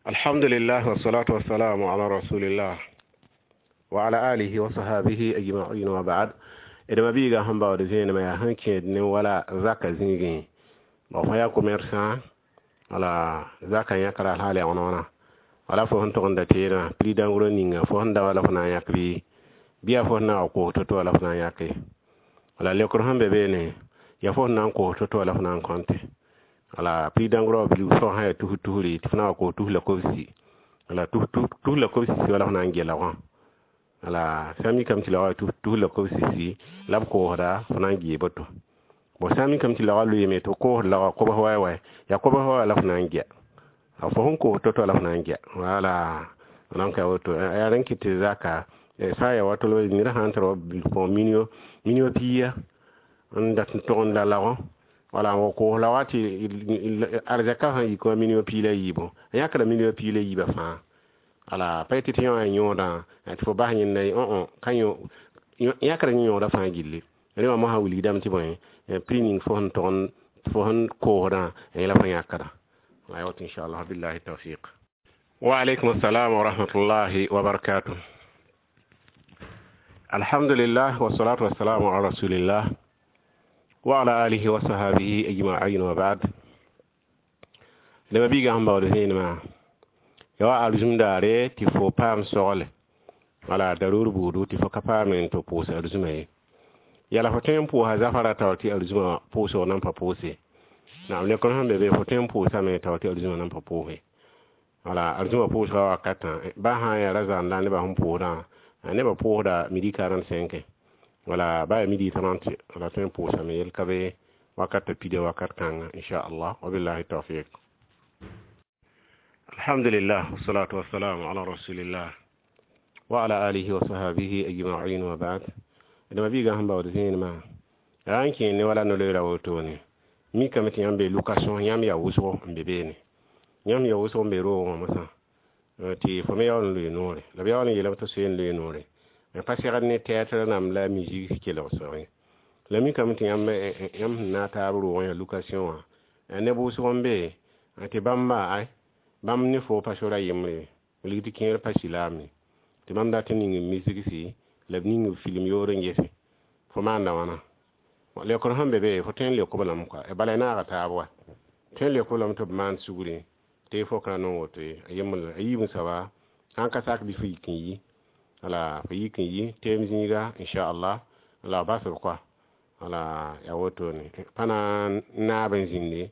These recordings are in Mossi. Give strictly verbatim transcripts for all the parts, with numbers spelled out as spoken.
Alhamdulillah wassalatu wassalamu ala rasulillah wa ala alihi wa sahabihi ajma'in wa ba'd. D mabiiga sẽn baood zẽenema yaa sẽn kẽed ne wala zaka zĩigẽ b fõ yaa commerçant wala zaka yãkra sã la wãna wala fo sẽn tog n da teedã prix d'en gros ninga fo sẽn da wala fo na n yãk bɩ bɩ yaa fo sẽn na wa koos to-to wala fo na n yãke wala leokr sẽn be beene yaa fo sẽn na n koos to-to wala fo na n kõte wala prix d'en gros wã sã yaa tus tusre tɩ fo na wa koos tus la kobsi wala tus la kobsi wala fo na n gela wã wala sã n mikame tɩ la wa tus la kobsi la b koosda fo na n gee boto bon sã n mikame tɩ la wa loeeme tɩ b koosd la kobs wa wa yaa kobs wa la fo na n gea fo sẽn koos to-to la fo na n gea wala donc yaa woto yaa rẽn kɩt tɩ zaka sã n yaa wato ned sã n tara wa million million pia n dat n tog n la lagõ wala n wa koos la wa tɩ arzɛka sã n yik wã million pia la yiibu a yãkra million pia la yiibã fãa wala pa yetɩ tɩ yõ a yõodã tɩ fo bas yẽnda ye ka yãkra yẽ yõoda fãa gilli rẽ wã mosã wilgdame tɩ bõe prix ning fo sẽn tog n fo sẽn koosdã yẽla fo yãkra la woto inchallah billahi tawfiq wa alaykum assalam wa rahmatullahi wa barakatuh alhamdulillah wassalatu wassalamu ala rasulillah wa ala alihi wa sahabihi ajma'in wa ba'd d mabiiga sẽn baood zẽenemã ya wa arzũm daare tɩ fo paam sogle wala daruur buudu tɩ fo ka paame tɩ pʋʋs arzũma ye yala fo tõe n pʋʋsa zafara taoor tɩ arzũma pʋʋsg nan pa pʋʋse naam lekr sẽn be be fo tõe n pʋʋsame taoor tɩ arzũma nan pa pʋʋse wala arzũma pʋʋsga wakatã ba sã n yaa ra-zãanda nebã sẽn pʋʋsdã nebã pʋʋsda midi quarante-cinq wala ba yaa midi trente wala tõe n pʋʋsame yel ka be wakat pida wakat kãnga inchallah wabillahi tawfiq alhamdulillah wassalatu wassalamu ala rasulillah wa ala alihi wa sahabihi ajma'in wa ba'd d mabiiga sẽn baood zẽenemã yaa n kẽe ne wala no-loeera wotone mikame tɩ yãmb be location yãmb yaa wʋsgo n be beene yãmb yaa wʋsg n be roogẽ wã mosã tɩ fo me yaool n loe noore la b yaool n yeelame tɩ soe n loe noore pa segd ne théâtre rãmb la musique kelg soge la mikame tɩ yãmb yãmb sẽn na taab roogẽ yaa location wã neb wʋsg n be tɩ bãmba ay bãmb ne fo pa sora yembre wilg tɩ kẽer pa silaame tɩ bãmb dat n ning misigsi la b ning film yoor n gese fo maanda wãna leokr sẽn be be fo tõe n leok b lame kɔa bala y naaga taab wa tõe n leok b lame tɩ b maan sugri tɩ fo ka nong woto ye a yembr a yiib n soaba sãn ka sak bɩ fo yik n yi wala fo yik n yi teem zĩiga inchallah la b bas b kɔa wala yaa wotone pa na n naab n zĩnde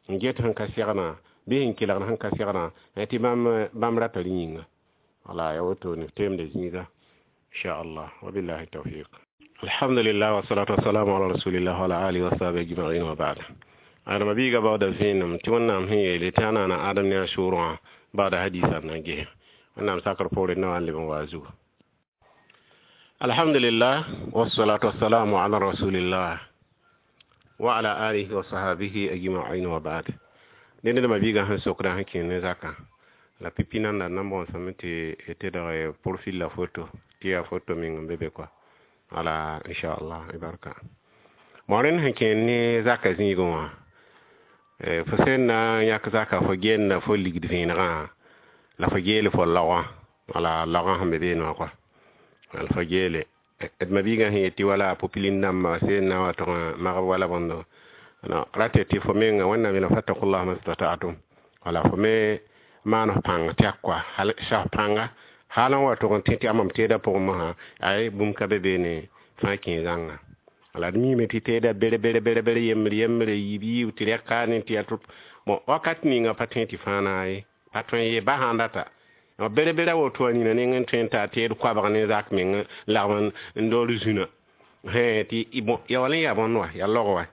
n get sẽn ka segnã bɩ sẽn kelgd sẽn ka segnã tɩ bãmb bãmb rata rẽ yĩnga wala yaa wotone teemda zĩiga inchallah wabillahi tawfiq alhamdulillah wassalatu wassalamu ala rasulillah wa ala alihi wa sahbihi ajma'in wa ba'd adama biiga baooda vẽenem tɩ wẽnnaam sẽn yeele tɩ a naana adam ne a sʋʋrẽ baooda hadisa na n ges wẽnnaam sakr poorẽ na wa n leb n wa a zugu alhamdulillah wassalatu wassalamu ala rasulillah wa ala alihi wa sahabihi ajma'in wa ba'd dẽnd d mabiigã sẽn sokdã sẽn kẽ ne zakã la pipi nanda n na n bõosame tɩ tedg profil la photo tɩ yaa photo meng n be be kɔa wala inchallah barka bon rẽnd sẽn kẽer ne zaka zĩigẽ wã fo sẽn na n yãk zaka fo genda fo ligd vẽenegã la fo geel fo laogã wala laogã sẽn be beene wã kɔa wala fo geele d mabiigã sẽn yet tɩ wala popilin dãmba sẽn na wa tʋg magb wala bõndo rate tɩ fo menga wẽnnaam yeelame fattakullah mastata'tum wala fo me maan f pãng tɛk kɔa hal saf pãnga hal n wa tʋg n tẽ tɩ a mam teedã pʋgẽ mosã ay bũmb ka be beene fãa kẽ zãnga wala d miime tɩ teedã bere bere bere bere yembr yembre yiib yiib tɩ rɛk kaane tɩ yaa bon wakat ninga pa tõe tɩ fãa naye pa tõe ye ba sãn data bere bere woto a nina neng n tõe n taa teed koabg ne zak meng lagm n dool zũna tɩ bon ya wall n yaa bõnd wa yaa log wa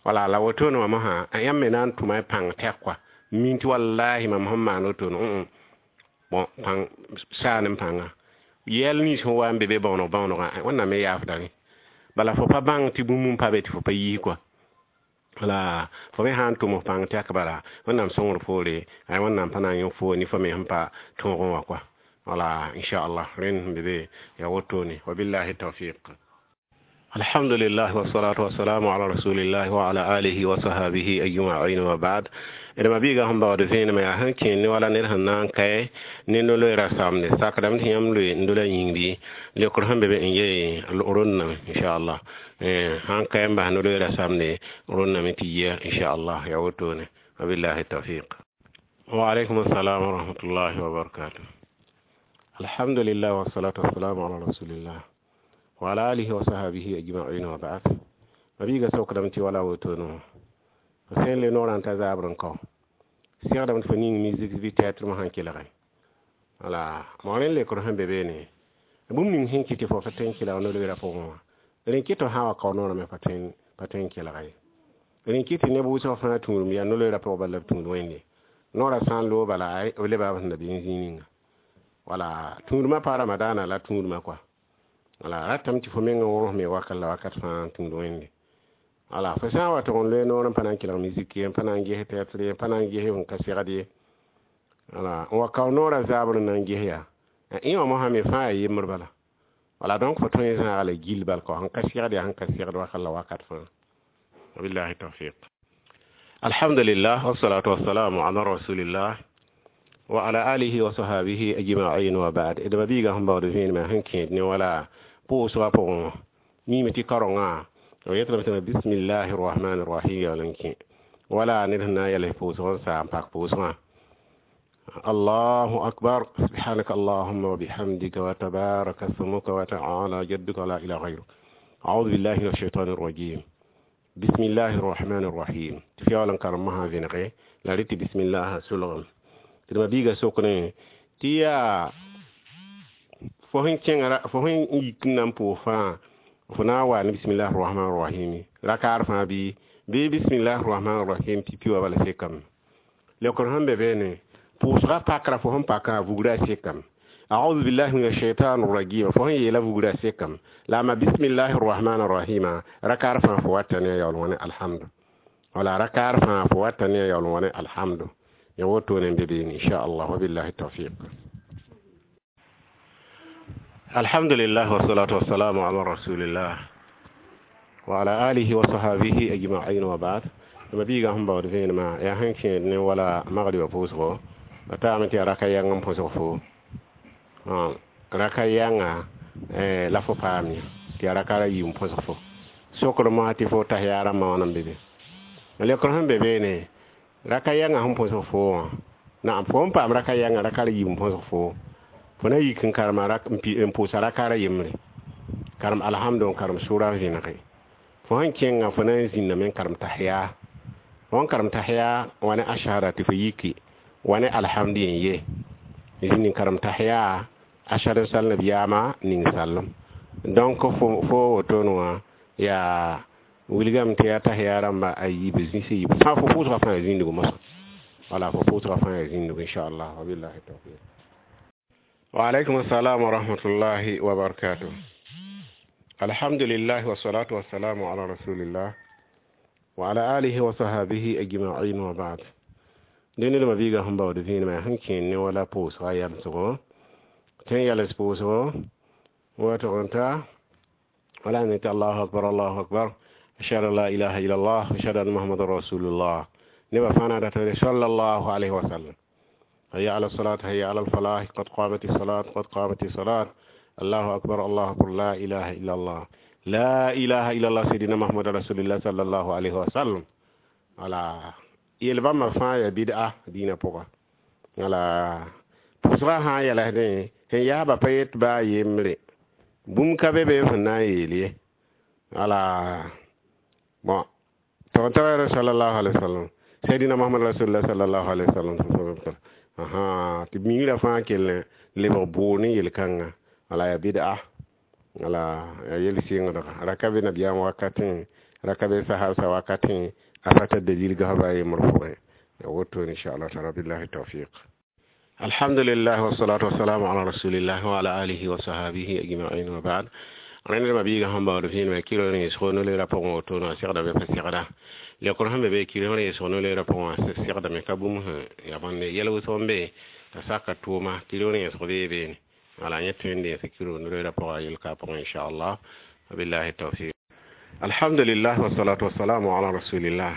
wala la wotone wã mosã yãmb me na n tʋma y pãng tɛk kɔa min tɩ wallahi mam sẽn maan wotone bon pãng saan n pãnga yɛl nins sẽn wa n be be bõoneg bõonegã wẽnnaam me yaafda rẽ bala fo pa bãng tɩ bũmb n pa be tɩ fo pa yiis kɔa wala fo me sã n tʋm f pãng tɛk bala wẽnnaam sõngr poore ay wẽnnaam pa na n yõ fo ne fo me sẽn pa tõogẽ wã kɔa wala inchallah rẽnd sẽn be be yaa wotone wabillahi tawfiq alhamdulillah wassalatu wassalamu ala rasulillahi wa ala alihi wa sahabihi ajma'in wa ba'd D ma-biigã sẽn baood vẽenemã yaa sẽn kẽer ne wala ned sẽn na n kae ne no-loeera samde sakdame tɩ yãmb loe n dola yĩng bɩ leokr sẽn be be n yee rõndame inchallah sãn kae n bas no-loeera samde rõndame tɩ yia inchallah yaa wotone wabillahi tawfiq. Wa alaikum assalam wa rahmatullahi wa barakatuh. Alhamdulillah wassalatu wassalamu ala rasulillah wa ala alihi wa sahbihi ajma'in wa ba'd. Ma-biigã sokdame tɩ wala wotone fo sẽn le noorã n ta zabr n kao segdame tɩ fo ning musique bɩ théâtre sãn kelge wala mo rẽnd lekr sẽn be beene bũmb ning sẽn kɩt tɩ fo pa tõe n kelg no-loeera pʋgẽ wã rẽ kɩt tɩ sã wa kao noorame pa tõe pa tõe n kelga ye rẽ kɩt tɩ neb wʋsg fãa tũudum yaa no-loeera pʋgẽ bala b tũud wẽnde noorã sã n loog bala b leba b sẽn da be n zĩig ninga wala tũudmã pa ramadaana la tũudmã kɔa wala ratame tɩ fo meng n wõsme wakat la wakat fãa n tũud wẽnde wala fo sã n wa tʋg n loe noor n pa na n kelg musique ye n pa na n ges théâtre ye n pa na n ges n ka segd ye wala n wa kao noorã zabr n na n ges yaa ẽ wã mosã me fãa yaa yembr bala wala donc fo tõe n zãaga la gill bal kao sẽn ka segd yaa sẽn ka segd wakat la wakat fãa wabillahi tawfiq. Alhamdulillah wassalatu wassalamu ala rasulillah wa ala alihi wa sahbihi ajma'in wa ba'd. D ma-biigã sẽn baood vẽenemã sẽn kẽed ne wala pʋʋsgã pʋgẽ wã miime tɩ kaorengã b yetame tɩ bismillahi rrahmani rrahim yaool n kẽ wala ned sẽn na n yɛls pʋʋsg n saa n pak pʋʋsgã allahu akbar subhanaka allahumma wa bihamdika wa tabaraka smuka wa ta'ala jadduka la ilaha ghayruk a'udhu billahi minash shaitani rrajim bismillahi rrahmani rrahim tɩ f yaool n karem mosã vẽnege la rɩ tɩ bismillah solgem tɩ d ma-biigã sokne tɩ yaa fo sẽn kẽnga fo sẽn yik n na n pʋʋs fãa fo na n wa ne bismillah rrahman rrahim rakaar fãa bɩ bɩ bismillah rrahman rrahim pipi wa bala sekame leokr sẽn be beene pʋʋsgã pakra fo sẽn pakã vugrã sekame a'udhu billahi minash shaitanir rajim fo sẽn yeela vugrã sekame la ma bismillahi rrahman rrahima rakaar fãa fo wata ne a yaool wã ne alhamdu wala rakaar fãa fo wata ne a yaool wã ne alhamdu ya wotone n be beene inchallah wabillahi tawfiq. Alhamdulillah wassalatu wassalamu ala rasulillah wa ala alihi wa sahbihi ajma'in wa ba'd. Ma biigã sẽn baood vẽenemã yaa sẽn kẽed ne wala magribã pʋʋsgo b taame tɩ yaa raka yãng n põsg fo raka yãnga la fo paam ye tɩ yaa raka ra yiib n põsg fo sokr mosã tɩ fo tas yaa rãmbã wãna n be be lekr sẽn be beene raka yãngã sẽn põsg fo wã naam fo n paam raka yãngã raka ra yiib n põsg fo fo na yik n karema n pʋʋsa rakaara yembre karem alhamdu n karem sʋra n vẽnege fo sẽn kẽnga fo na n zĩnname n karem tahiya fo n karem tahiya wa ne ashhada tɩ fo yiki wa ne alhamdu yen ye zĩnd n karem tahiya ashhadu n sal nabiyaamã ning sallem donc fo fo wotone wã yaa wilgame tɩ yaa tahiya rãmba a yiib zĩs yiib fãa fo pʋʋsgã fãa yaa zĩndgo mosã wala fo pʋʋsgã fãa yaa zĩndgo inchallah wabillahi tawfiq. Wa alaikum assalam wa rahmatullahi wa barakatuh. Alhamdulillah wassalatu wassalamu ala rasulillah wa ala alihi wa sahbihi ajma'in wa ba'd. Dẽnd ma biigã sẽn baood vẽenemã sẽn kẽer ne wala pʋʋsga yamsgo tẽn yɛls pʋʋsgo wa tʋg n ta wala ne tɩ allahu akbar allahu akbar ashhadu an la ilaha illallah ashhadu anna muhammadan rasulullah nebã fãa na data sallallahu alayhi wa sallam hayya ala salat hayya ala alfalah qad qamat salat qad qamat salat allahu akbar allahu akbar la ilaha illallah la ilaha illallah sayyidina muhammad rasulullah sallallahu alayhi wa sallam wala yel bãmba fãa yaa bid'a dĩinã pʋga wala pʋʋsgã sã n yɛlsdẽ sẽn yaaba pa yet baa yembre bũmb ka be be sẽn na n yeel ye wala bon tɩg tɩ sallallahu alayhi wa sallam sayyidina muhammad rasulullah sallallahu alayhi wa sallam aha tɩ migrã fãa kell lebg bʋʋr ne yel-kãnga wala yaa bid'a wala yaa yel-sɩngdga ra ka be nabiyaam wakatẽ ra ka be sahabsa wakatẽ a pa tar dalil gas baa yembr pʋgẽ ya woto inchallah taala billahi tawfiq. Alhamdulillah wassalatu wassalamu ala rasulillah wa ala alihi wa sahbihi ajma'in wa ba'd. Rẽnd ma-biigã sẽn baood vẽenemã kɩr rẽesg no-loeerã pʋgẽ wotone segdame pa segda lekr sẽn be be kɩr rẽesg no-loeerã pʋgẽ segdame ka bũmb sẽn ya bõnde yɛl wʋsg n be t'a saka tʋʋma kɩr rẽesg bee beene wala yẽ tõe n dẽes kɩr no-loeerã pʋgã yel-ka pʋgẽ inchallah wabillahi tawfiq. Alhamdulillah wassalatu wassalamu ala rasulillah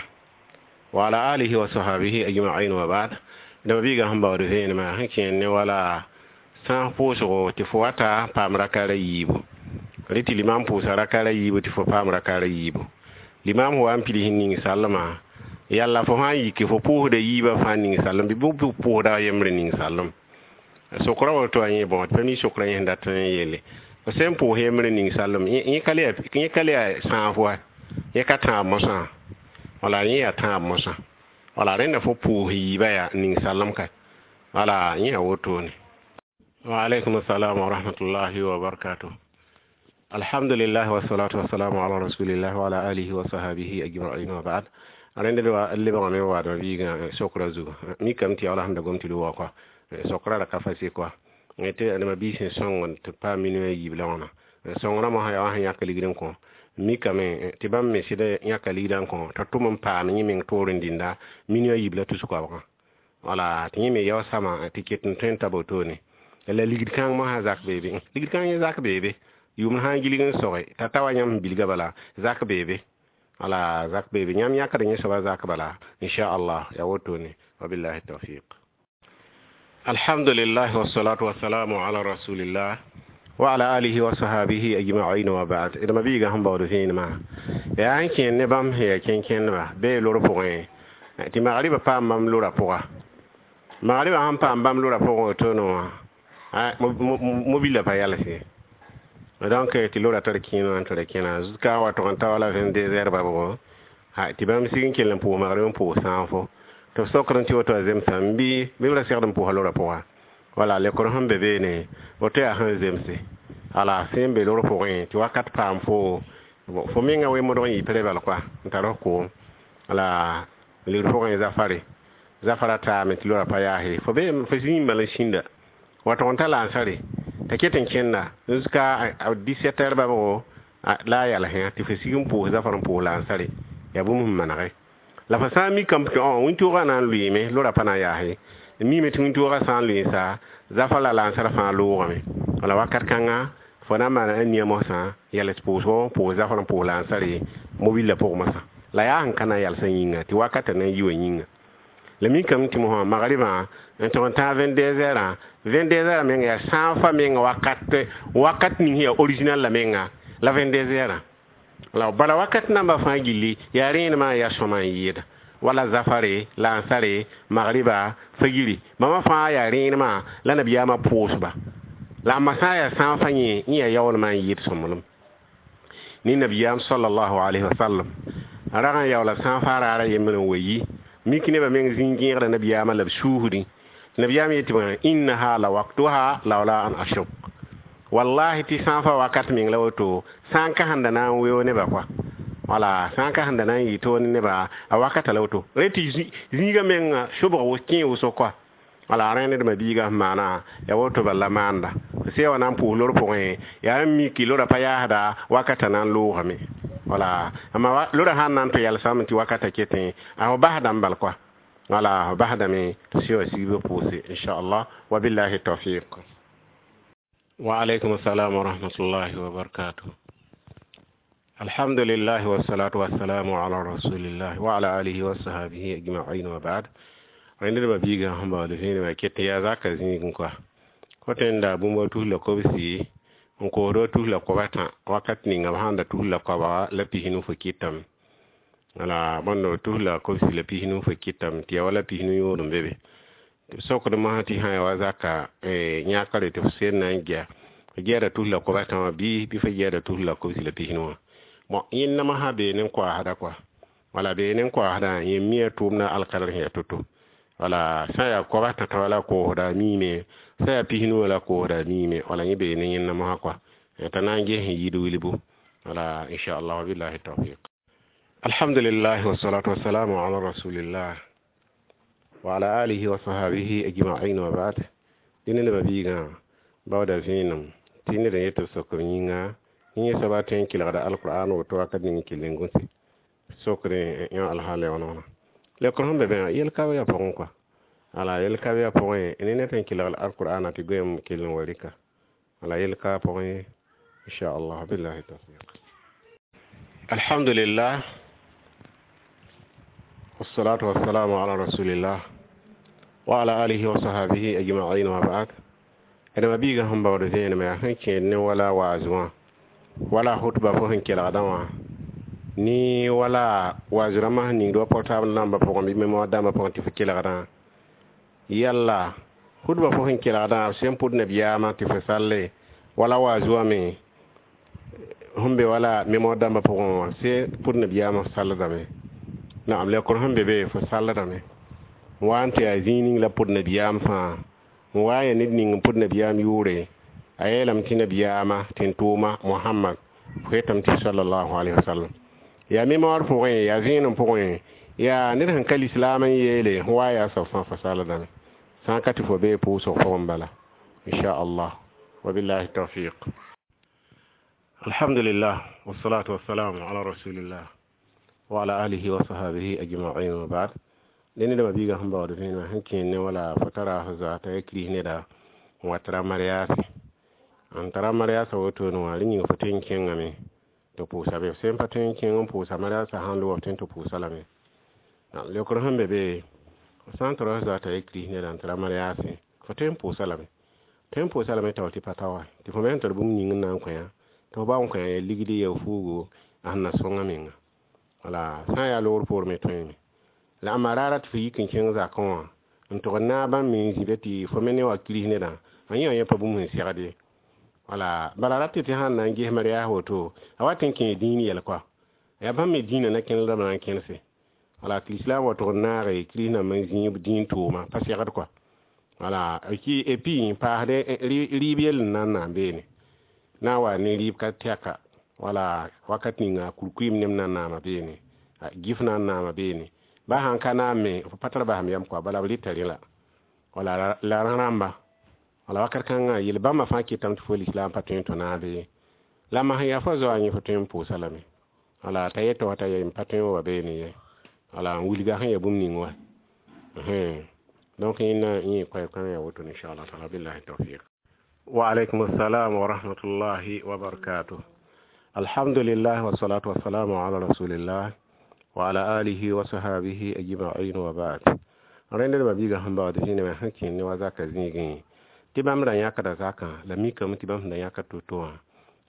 Wa ala alihi wa sahbihi ajma'in wa ba'd. Da mabiiga sẽn baood vẽenemã sẽn kẽer ne wala sãas pʋʋsgo tɩ fo wata paam rakaar a yiibu rẽ tɩ limam pʋʋsa rakaar a yiibu tɩ fo paam rakaar a yiibu limam wa n pids n ning sallmã yalla fo sã n yike fo pʋʋsda yiibã fãa ning sallem bɩ b pʋʋsda a yembre ning sallem sokra woto a yẽ bõ tɩ pa mi sokra yẽ sẽn dat n yeele fo sẽn pʋʋs yembre ning sallem yẽ ka le yaa sãaf wa yẽ ka tãab mosã wala yẽ yaa tãab mosã wala rẽnda fo pʋʋs yiibã yaa ning sallem ka wala yẽ yaa wotone. Wa alaikum assalam wa rahmatullahi wa barakatuh. Alhamdulillah wassalatu wassalamu ala rasulillah wa ala alihi wa sahbihi ajma'in wa ba'd. Rẽnda wa lebgame waadmã biigã sokra zugu mikame tɩ yaa sẽn da gom tɩ wa kɔa sokra ra ka fase kɔa tɩ nema biis sẽn sõng tɩ paam minimã yiib la wãna sõngrã mosã yaa wa sẽn yãk ligd n kõ mikame tɩ bãmb me sɩd yãka ligdã n kõ t'a tʋm n paam yẽ meng toor n dĩnda minimã yiib la tus koabgã wala tɩ yẽ me yao sama tɩ ket n tõe n ta wotone la ligd kãng mosã zak beebe ligd kãng yẽ zak beebe yʋʋmd sã n gilg n soge t'a ta wa yãmb sẽn bilga bala zak beebe wala zak beebe yãmb yãkd yẽ soaba zak bala inchallah ya wotone wabillahi tawfiq. Alhamdulillah wassalatu wassalamu ala rasulillah wa ala alihi wa sahbihi ajma'in wa ba'd. D mabiiga sẽn baood vẽenemã yaa n kẽer ne bãmb sẽn yaa kẽn-kẽndba bee lor pʋgẽ tɩ magribã paam bãmb lora pʋga magribã sẽn paam bãmb lora pʋgẽ wotone wã mobila pa yalse donc tɩ lora tar kẽen n tɩ ra kẽna jusqu'à wa tog n ta wala vingt-deux heures babgo tɩ bãmb sig n kell n pʋʋs magrib n pʋʋs sãafo tɩ b sokd n tɩ woto a zemsame bɩ bɩ b ra segd n pʋʋsa lora pʋga wala lekr sẽn be beene woto yaa sẽn zemse ala sẽn be lor pʋgẽ tɩ wakat paam fo fo menga wemodg n yɩ prɛ bal koa n tar f koom ala ligd pʋgẽ zafare zafara taame tɩ lora pa yaase fo be fo zĩig bal n sĩnda wa tog n ta lansare t'a ket n kẽnda jusqu'à dix-sept heures babgo la a yalsẽ tɩ fo sig n pʋʋs zafar n pʋʋs lansare yaa bũmb sẽn manege la fo sã n mikame tɩ wĩntoogã na n lʋɩɩme lora pa na n yaase mime tɩ wĩntoogã sã n lʋɩɩsa zafar la lansar fãa loogame wala wakat kãnga fo na n maana a nia mosã yals pʋʋsgo pʋʋs zafar n pʋʋs lansare mobila pʋg mosã la yaa sẽn ka na n yalsã yĩnga tɩ wakatã na n yi wã yĩnga la mikame tɩ mosã magribã n tog n tãag vingt-deux heures vingt-deux heures menga yaa sãafã menga wakat wakat ning sẽn yaa original la menga la vingt-deux heures la bala wakat namba fãa gilli yaa rẽenemã yaa sõma n yɩɩda wala zafare lansare magriba fagiri bãmba fãa yaa rẽenemã la nabiyaamã pʋʋsba la ãmba sã n yaa sãafã yẽ yẽ yaa yaoolmã n yɩɩd sõmblem ne nabiyaam sallallahu alayhi wa sallam rag n yaoola sãafã raara yembr n wa yi mik nebã meng zĩig gẽegda nabiyaamã la b suusdẽ nabiyaam yetɩ bã innaha la waktuha laula an ashuk wallahi tɩ sãafã wakat meng la woto sã n ka sẽn da na n weo nebã koa wala sã n ka sẽn da na n yɩ toor ne nebã a wakata la woto rẽ tɩ zĩigã menga sobg kẽ wʋsg koa wala rẽ ned mabiigã sẽn maana ya woto bala maanda sẽn wa na n pʋʋs lor pʋgẽ yaa n miki lora pa yaasda wakata na n loogame wala amma lora sãn na n tɩ yalsame tɩ wakata ketẽ a fo basdame bal koa wala fo basdame tɩ sẽn wa sigb pʋʋse inchallah wabillahi tawfiq. Wa alaykum assalam wa rahmatullahi wa barakatuh. Alhamdulillah wassalatu wassalamu ala rasulillah wa ala alihi wa sahbihi ajma'in wa ba'd. Rẽnd d biiga sẽn baood vẽenemã ket yaa zaka zĩigẽ koa fo tõe n da bũmb tus la kobsi n koosd tus la koab tã wakat ninga b sãn da tus la koaba la pisnu fo kɩtame wala bõnd tus la kobsi la pisnu fo kɩtame tɩ yaa wala pisnu yõod n be be tɩ b sokd mosã tɩ sã ya wa zaka yãkre tɩ f sed na n gɛa fo gɛɛda tus la koab tã wã bɩ bɩ fo gɛɛda tus la kobsi la pisnu wã bon yẽnda mosã bee ne n koaasda koa wala bee ne n koaasdã yẽ mia tʋʋmdã alkadr sẽn yaa to-to wala sã yaa koab tã tã la koosda miime sã yaa pisnu la koosda miime wala yẽ bee ne yẽnda mosã koa t'a na n ges sẽn yɩɩd wilbu wala inchallah wabillahi tawfiq. Alhamdulillah wassalatu wassalamu ala rasulillah wa ala alihi wa sahbihi ajma'in wa ba'd. Dẽnd nebã biigã baooda vẽenem tɩ ned n yet b sokr yĩnga yẽ soaba tõe n kelgda alqur'an woto wakat ning kell n gũse sokre yõ alhaal ya wãna lekr sẽn be bẽ yel ka yaa pʋgẽ koa ala yel ka yaa pʋgẽ ne ned sẽn kelg alqur'ana tɩ goeem kell n wa rɩka ala yel ka pʋgẽ inchallah billahi tawfiq. Alhamdulillah والصلاة والسلام على رسول الله وعلى آله وصحبه أجمعين وبعد. D ma-biigã sẽn baood vẽenem yaa sẽn kẽed ne wala waaz wã, wala khutba fo sẽn kelgdã wã, ne wala waaz rãmbã sẽn ningd wa portable dãmbã pʋgẽ bɩ mémoire dãmbã pʋgẽ tɩ fo kelgdã. Yalla khutba fo sẽn kelgdã, b sẽn pʋd nabiyaamã tɩ fo salle, wala waaz wã me sẽn be wala mémoire dãmbã pʋgẽ wã, sẽn pʋd nabiyaamã fo salldame. Naam, leokr sẽn be be fo salldame n wa n tɩ yaa zĩig ning la pʋd nabiyaam fãa, n wa n yaa ned ning n pʋd nabiyaam yʋʋre, a yeelame tɩ nabiyaamã tɩ n tʋʋma Mohamad, fo yetame tɩ sallallahu alaihi wasallam. Yaa mémoire pʋgẽ, yaa vẽenem pʋgẽ, yaa ned sẽn ka lislaam n yeele, sẽn wa yaa soab fãa fo salldame, sã n ka tɩ fo bee pʋʋsg pʋgẽ bala, inchallah. Wabillahi tawfiq. Alhamdulillah wassalatu wassalamu ala rasulillah wa ala alihi wa sahbihi ajma'in wa ba'd. Dẽnd ned biigã sẽn baood vẽenemã sẽn kẽed ne wala fo tara f zoa t'a ya kiris neda n wa tara mariaase, n tara mariaasã wotone wã, rẽ yĩnga fo tõe n kẽngame tɩ pʋʋsa be. F sẽn pa tõe n kẽng n pʋʋsa mariaasã sãn loog, f tõe n tɩ pʋʋsa lame. Leokr sẽn be be, f sã n tara f zoa t'a ya kiris neda n tara mariaase, fo tõe n pʋʋsa lame, tõe n pʋʋsa lame tao tɩ pa ta wa, tɩ fo me sẽn tar bũmb ning n na n kõ yã, tɩ f ba n kõ yã ligd, ya fuugo a sẽn na sõnga menga. Wala sã n yaa loogr poor me tõeme la ãmba raara tɩ fo yik n kẽng zakẽ wã n tʋg n naag bãmb me n zĩ be tɩ fo me ne wa kiris nedã, a yẽ wã yẽ pa bũmb sẽn segd ye. Wala bala rat tɩ sãn na n ges mariaas woto, a wat n kẽe dĩin yɛl koa, yaa bãmb me dĩinã na kẽnd la b na n kẽnse. Wala tɩ lislaam wa tʋg n naage kiris nambã n zĩig dĩin tʋʋma pa segd koa. Wala et puis n paasde rɩɩb yell n na n na n beene na n wa ne rɩɩb ka tɛka, wala wakat ninga kurkuim nem na n naama beene, gif na n naama beene, ba sãn ka naam me fo pa tar basem yam koa, bala b rɩta rẽ la wala la rãmba. Wala wakat kãngã yel bãmba fãa kɩtame tɩ fo lislaam pa tõe n tõ naabe la masẽn yaa fo zoa yẽ fo tõe n pʋʋsa lame. Wala t'a yetɩ wa t'a ye n pa tõe n wa beene ye, wala n wilga sẽn yaa bũmb ning wa. Donc yẽnda yẽ koɛɛ-kãngã yaa woto, inchallah taala. Billahi tawfiq. Wa alaykum assalam wa rahmatullahi wa barakatuh. Alhamdulillah wassalatu wassalamu ala rasulillah wa ala alihi wa sahbihi ajma'in wa ba'd. Rẽnd d ma-biigã sẽn baood vẽenemã sẽn kẽnd ne wa zaka zĩigẽ, tɩ bãmb ra yãkda zakã, la mikame tɩ bãmb sẽn da yãkd to-to wã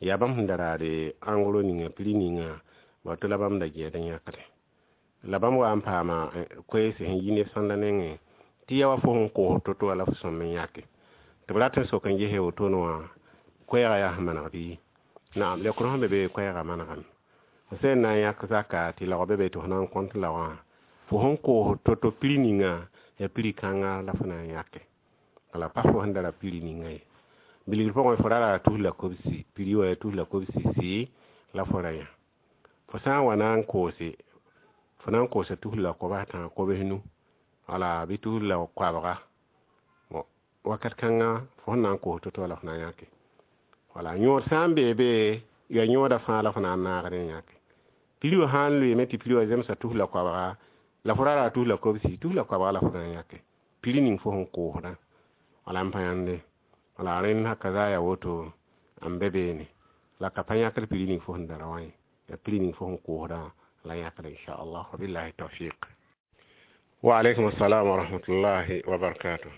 yaa bãmb sẽn da raade ãngro ninga, prix ninga wato la bãmb da gɛɛd n yãkde, la bãmb wa n paama koees sẽn yi neb sãnda nengẽ tɩ ya wa fo sẽn koos to-to wã la fo sõm n yãke, tɩ b rat n sok n gese wotone wã koɛɛgã yaa sẽn maneg bɩ. Naam, leokr sẽn be be koɛɛgã manegame. Fo sẽn na n yãk zaka tɩ laog be be tɩ fo na n kõt laogã, fo sẽn koos to-to prix ninga yaa prix kãnga la fo na n yãke, wala pa fo sẽn da ra prix ninga ye. Bilgr pʋgẽ fo ra ra tus la kobsi, prix wã yaa tus la kobsi sɩ la fo ra yã. Fo sã n wa na n koose, fo na n koosa tus la koabs tã, kobs nu, wala bɩ tus la koabga, wakat kãnga fo sẽn na n koos to-to la fo na n yãke. Wala yõod sã n bee be, yaa yõoda fãa la fo na n naagd n yãke. Prix wã sã n loeeme tɩ prix wã zemsa tus la koabga, la fo ra ra tus la kobsi, tus la koabga la fo na n yãke prix ning fo sẽn koosdã. Wala n pa yãnde, wala rẽnd haka za yaa woto n be beene, la ka pa yãkd prix ning fo sẽn da ra wã ye, yaa prix ning fo sẽn koosdã la yãkd, inchallah. Wabillahi tawfiq. Wa alaykum assalam wa rahmatullahi wa barakatuh.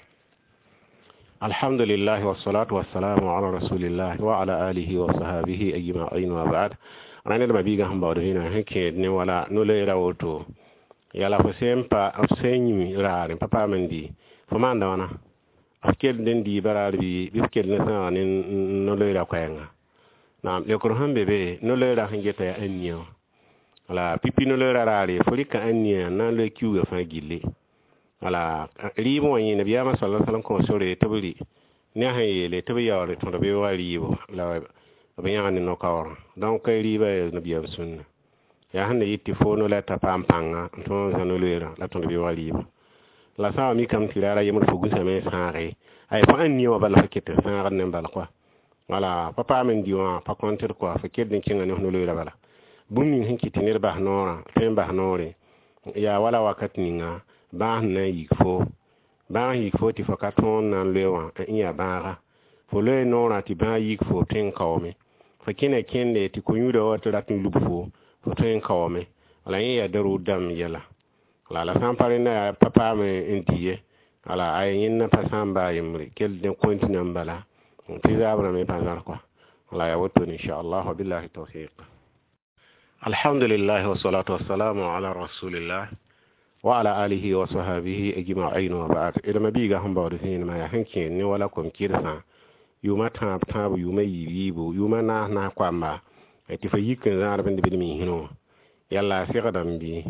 Alhamdulillah wassalatu wassalamu ala rasulillah wa ala alihi wa sahbihi ajma'in wa ba'd. Rẽnd d ma-biigã sẽn baood vẽenemã sẽn kẽed ne wala no-loeera woto, yala fo sẽn pa f sẽn yĩm raare n pa paam n dɩ, fo maanda wãna, f kell n dɩɩba raar bɩ bɩ f kell ne sãaga ne no-loeera koɛɛnga. Naam, leokr sẽn be be, no-loeera sẽn geta yaa ãn-nia wã. Wala pipi no-loeera raare, fo rɩka ãn-nia n na n loe kiuugã fãa gilli. Wala rɩɩb wã yẽ nabiyaamã sala salam kõ sore tɩ b rɩ ne a sẽn yeele tɩ b yaool tõd b wa rɩɩbo la b yãg ne no-kaoorã. Donc rɩɩbã yaa nabiyaam sũnna, yaa sẽn na yit tɩ fo no la t'a paam pãnga n tõog n zã no-loeerã la tõd beoogã rɩɩbã. La sã n wa mikame tɩ raara yembr fo gũsame n sãage, ay fo ãn-nia wã bala fo ket n sãagd ne bala koa, wala pa paam n dɩ wã pa kõntd koa, fo kell n kẽnga ne f no-loeerã bala. Bũmb ning sẽn kɩt tɩ ned bas noorã, tõe n bas noore yaa wala wakat ninga bãag sẽn na n yik fo, bãag yik fo tɩ fo ka tõog n na n loe wã n yaa bãaga, fo loe noorã tɩ bãag yik fo tõe n kaoome, fo kẽna kẽnde tɩ ko-yũudã wa tɩ rat n lub fo, fo tõe n kaoome. Wala yẽ yaa darur dãmb yɛla. La la sã n pa rẽnda yaa pa paam n dɩ ye, wala ay yẽnda pa sã n baa yembre kell ne continue n bala tɩ zaabrã me pa zãr kɔa. Wala yaa wotone inchallah, wabillahi tawfiq. Alhamdulillah, wasalatu wassalamu ala rasulillah wa ala alihi wa sahabihi ajma'in wa ba'd. D mabiiga sẽn baood zẽenemã yaa sẽn kẽer ne wala kom-kɩrsã yʋʋma tãab tãabo, yʋʋma yiib yiibu, yʋʋma naas naas koamba tɩ fa yik n zãad b d miisrẽ wã yalla a segdame bɩ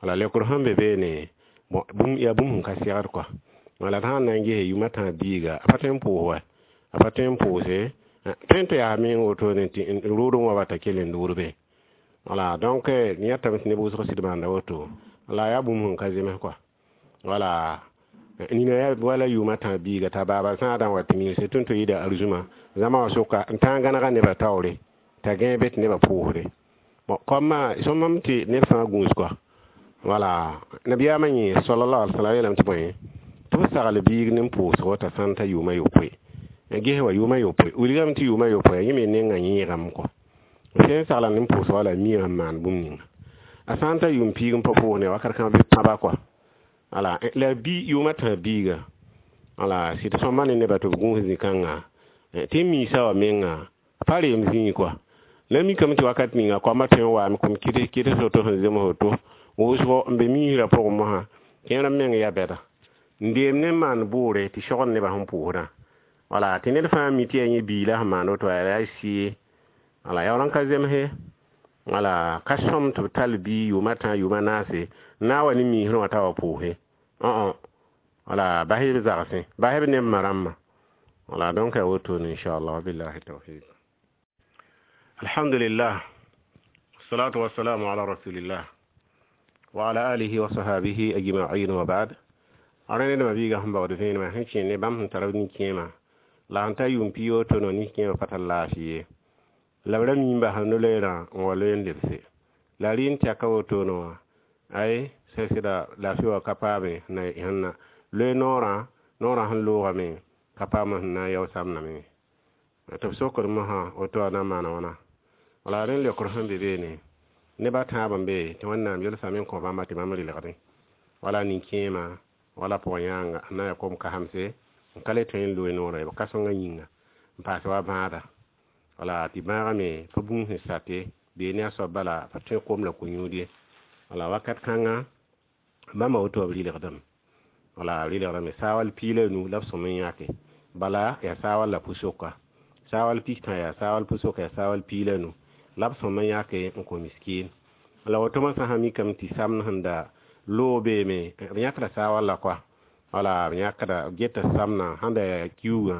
wala leokr sẽn be beene bũmb yaa bũmb sẽn ka segd kɔa. Wala d sãn na n gese yʋʋma tãab biiga, a pa tõe n pʋʋs wa, a pa tõe n pʋʋse, tõe n tɩ yaa meng wotone tɩ rʋʋdẽ wã wa t'a kell n loodbe. Wala donc yãtame tɩ neb wʋsg sɩd maanda woto la yaa bũmb sẽn ka zems kɔa. Wala nina yaa wala yʋʋma tãab biiga t'a baaba zãadã wa tɩ miise tõnd tɩ yɩɩda arzũma zãma wã sʋka n tãag gãnega nebã taoore t'a gãe be tɩ nebã pʋʋsde. Bon, koamã sõmam tɩ ned fãa gũus kɔa. Wala nabiyaamã yẽ sallallahu alaihi wasallam yeelame tɩ bõe tɩ b sagl biig ne pʋʋsgo t'a sã n ta yʋʋma yopoe, ges wa yʋʋma yopoe wilgame tɩ yʋʋma yopoe yẽ me nengã yẽegame kɔa. Sẽn sagla ne pʋʋsg wala miame n maan bũmb ninga a sã n ta yʋʋm piig n pa pʋʋs ne wakat kãng bɩ pãba kɔa. Wala la bi yʋʋma tãab biiga, wala sɩd sõma ne nebã tɩ b gũus zĩ-kãnga tɩ n miisa wã menga pa reem zĩig kɔa. La mikame tɩ wakat ninga koambã tõe n waame kom kɩds woto sẽn zems woto wʋsgo n be miisrã pʋgẽ mosã kẽer n meng yaa bɛda n deem ne n maan bʋʋre tɩ sogd nebã sẽn pʋʋsdã. Wala tɩ ned fãa mi tɩ yaa yẽ bii la sẽn maan woto yaa a sɩɩ. Wala yaool n ka zemse, wala ka sõm tɩ b tall bii yʋʋma tã yʋʋma naase n na n wa ne miisrẽ wã t'a wa pʋʋse õ wala bas b zagsẽ, bas b neb ma rãmbã. Wala donc yaa wotone inchallah, wabillahi tawfiq. Alhamdulillah, wassalatu wassalamu ala rasulillah wa ala alihi wa sahabihi ajma'in wa ba'd. A rẽnd ned mabiiga sẽn baood vẽenemã sẽn kẽ ne bãmb sẽn tar b nin-kẽemã la sẽn ta yʋʋm pii woto nin-kẽemã pa tar laafɩ ye la b ra mi n basa no-loeerã n wa loe n lebse la rɩ n tɛka wotone wã ay sẽn sɩda laafɩ wã ka paame na sẽn na loe noorã noorã sẽn loogame ka paam sẽn na n yao samdame tɩ b sokd mosã woto wã na n maana wãna. Wala rẽnd leokr sẽn be beene neb a tãab n be tɩ Wẽnnaam yelsame n kõ bãmba tɩ bãmb relgdẽ wala nin-kẽemã wala pʋg-yãanga n na n yaa kom-kasemse n ka le tõe n loe noorã ye b ka-sõngã yĩnga n paas wa bãada. Wala tɩ bãagã me pa bũmb sẽn sate bee ne a soab bala pa tõe kom la ko-yũud ye. Wala wakat kãnga bãmba woto b rɩlgdame, wala rɩlgdame saawal piig la nu la b sõm n yãke bala yaa saawal la pʋ-soka saawal pistã yaa saawal pʋ-soka yaa saawal piig la nu la b sõm n yãke n kõ miskiin. La woto mosã sã mikame tɩ samd sẽn da loog beeme b yãkda saawal la kɔa. Wala b yãkda b geta samna sẽn da yaa kiuugã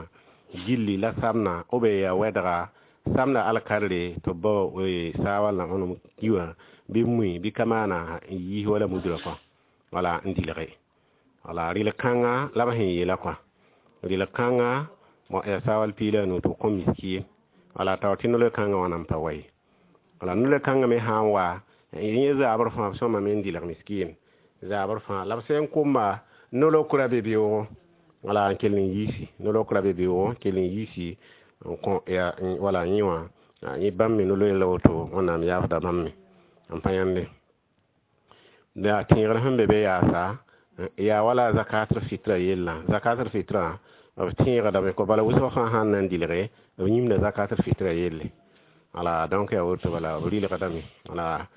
gilli la samna b yaa wɛdga samda alkarre tɩ b bao saawallã võnem kiwã bɩ mui bɩ ka maana n yiis wala mudrã kɔa wala n dɩlge. Wala rɩl kãnga la b sẽn yeela kɔa rɩl kãnga yaa saawal piig la a nu tɩ b kõ miskiin. Wala tao tɩ no-loe kãngã wã nan pa wa ye. Wala no-loe kãngã me sã n wa yẽ zaabr fãa b sõmame n dɩlg miskiin zaabr fãa la b sẽn komba no-lokra be beoogo wala n kell n yiisi no-lokra be beoogo n kell n yiisi n kõ ya wala yẽ wã yẽ bãmb me no-loe la woto Wẽnnaam yaafda bãmb me n pa yãnde. La tẽegr sẽn be be yaasa yaa wala zakatul fitra yellã zakatul fitra b tẽegdame kɔ bala wʋsg fãa sãn na n dɩlge b yĩmda zakatul fitra yelle. Wala donc yaa woto bala b rɩlgdame wala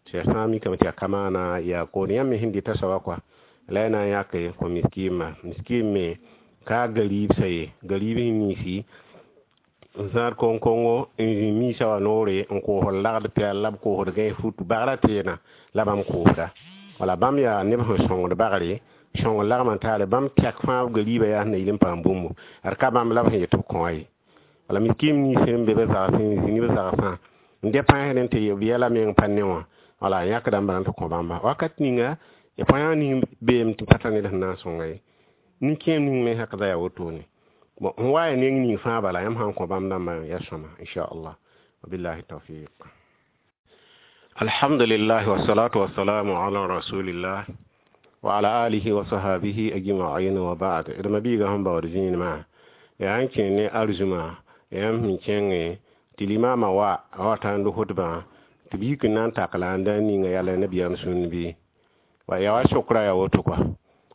tɩ yaa sã n mikame tɩ yaa kamaana yaa koon yãmb me sẽn dɩta soaba kɔa la y na n yãke kõ miskiimã miskiim me ka gariib sa ye gariib sẽn niisi n zãad koŋ-kongo n zĩ miisã wã noore n koosd lagd pɛɛl la b koosd gãe fut bagrã teena la bãmb koosda. Wala bãmb yaa neb sẽn sõngd bagre sõng lagm n taare bãmb tɛk fãa gariibã yaa sẽn na yɩl n paam bũmbu ad ka bãmb la b sẽn yet b kõ ye. Wala miskiim nins sẽn be b zagsẽ n zĩ ne b zagsã n dɛ pãsd tɩ b yɛla meng pa ne wã wala yãkda n bala tɩ kõ bãmba wakat ninga ya pãyã ning beem tɩ pa tar ned sẽn na n sõnga ye nin-kẽem ning me hakda yaa wotone. Bon, n wa ya neng ning fãa bala yãmb sãn kõ bãmb dãmbã yaa sõma inchallah, wabillahi tawfiq. Alhamdulillah, wassalatu wassalamu ala rasulillah wa ala alihi wa sahabihi ajma'in wa ba'd. D mabiiga sẽn baood zĩinemã yaa n kẽ ne arzũma yãmb sẽn kẽnge tɩ limaamã wa a wa tãnd khutbã tɩ b yik n na n tak la n da ninga yala nabiyaam sũnd bɩ Wa yaa wa sokra yaa woto kɔa.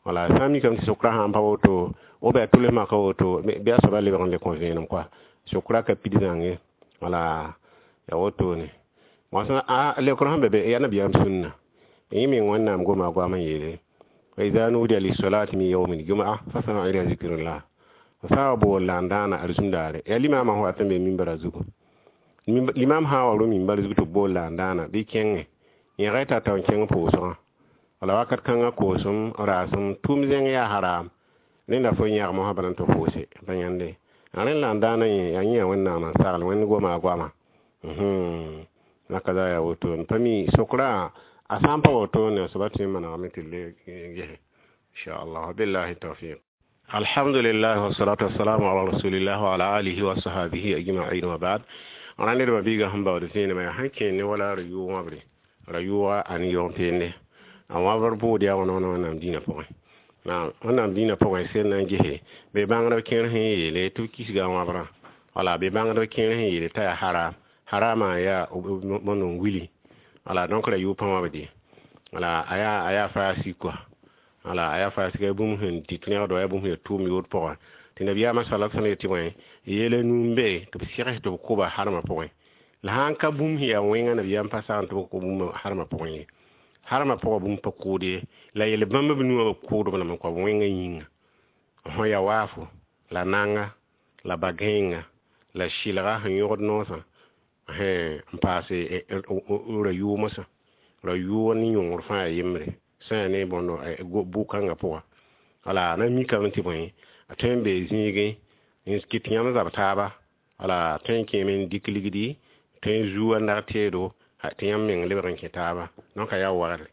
Wala sã n mikame tɩ sokra sã n pa woto, ou bien a tʋls maka woto, bɩ a soaba lebg n le kõ vẽenem kɔa. Sokra ka pid zãng ye. Wala yaa wotone. Moasã a leokr sẽn be be yaa nabiyaam sũnna. Yẽ meng Wẽnnaam goma a goam n yeele: wa iza nudiya lissolati min yaumi ljum'a fas'au ila zikrillah. F sã n wa bool la n dãana arzũm daare, yaa limaamã sẽn wat n be mimbara zugu. Limam sã n wa rũ mimbar zug tɩ b bool la n dãana bɩ kẽnge yẽga y tata n kẽng pʋʋsgã. Wala wakat kãngã koosem, raasem, tʋʋm zẽng yaa haram. Rẽnda fo yãg mosã bala n tɩ pʋʋse pa yãnde. Rẽnd la n dãana yẽ yaa yẽ yaa Wẽnnaam n sagl Wẽnd goma a goama. Naka za yaa wotone. Pa mi sokra a sã n pa wotone a soaba tõe n manegame tɩ le gese. Inchallah. Billahi tawfiq. Alhamdulillah wassalatu wassalamu ala rasulillah wa ala alihi wa sahabihi ajma'in wa ba'd. Rã nedbã biigã sẽn baood vẽenemã yaa sẽn kẽer ne wala ra-yʋʋg wãbre. Ra-yʋʋga a ne yõg-peende. A wãbr bʋʋd yaa wãna wãna Wẽnnaam dĩinã pʋgẽ. Naam, Wẽnnaam dĩinã pʋgẽ sel na n gese be bãngdb kẽer sẽn yeele tɩ b kisga a wãbrã. Wala be bãngdb kẽer sẽn yeele t'a yaa haram. Haramã yaa bõnd n wili. Wala donc ra-yʋʋg pa wãbd ye. Wala a yaa a yaa faasik kɔa. Wala a yaa faasik yaa bũmb sẽn dɩt rẽgd wa yaa bũmb sẽn yaa tʋʋm yood pʋgã. Tɩ nabiyaamã sala sallam yetɩ bõe yel a nu n be tɩ b segs tɩ b kʋba harmã pʋgẽ. La sã n ka bũmb sẽn yaa wẽnga nabiyaam pa sagn tɩ b kʋ bũmb harmã pʋgẽ ye. Harmã pʋgã bũmb pa kʋʋd ye. La yel bãmb b nuwã b kʋʋdb lame kɔ b wẽngã yĩnga. Sõ ya waafo, la nanga, la ba-gãeenga, la sɩlga sẽn yõgd noosã n paase ra-yʋʋg mosã. Ra-yʋʋg ne yõngr fãa yaa yembre sã yaa ne bõndo bʋ-kãngã pʋga. Wala na mikame tɩ bõe a tõe n bee zĩigẽ n kɩt yãmb zab taaba. Wala tõe n kẽeme n dɩk ligdi, tõe n zuu a nag teedo tɩ yãmb meng lebg n kẽ taaba. Donc a yaa wagre.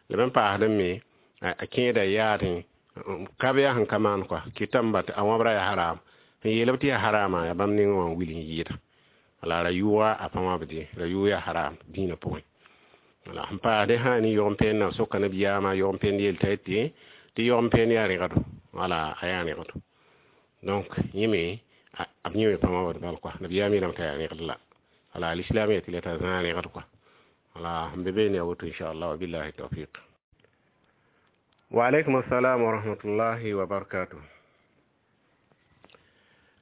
La b paasdẽ me a kẽeda yaadẽ ka be yaa sẽn ka maan kɔa kɩtame ba a wãbrã yaa haram. Sẽn yeel-b tɩ yaa harama yaa bãmb nengẽ wã n wil n yɩɩda. Wala ra-yʋʋga a pa wãbd ye. Ra-yʋʋg yaa haram dĩinã pʋgẽ. Wala sẽn paasdẽ sã ne yõgen-peendã soka nabiyaamã yõgen-peend yel t'a yetɩ tɩ yõgen-peend yaa rẽgdo. Wala a yaa rẽgdo. Donc yẽ me b yẽ me pa wãbd bal kɔa. Nabiyaam yeelame t'a yaa rẽgd la. Wala alislam yetɩ la t'a zãa rẽgd kɔa. Wala sẽn be beene yaa woto inchallah wa billahi tawfiq. Wa alaykum assalam wa rahmatullahi wa barakatuh.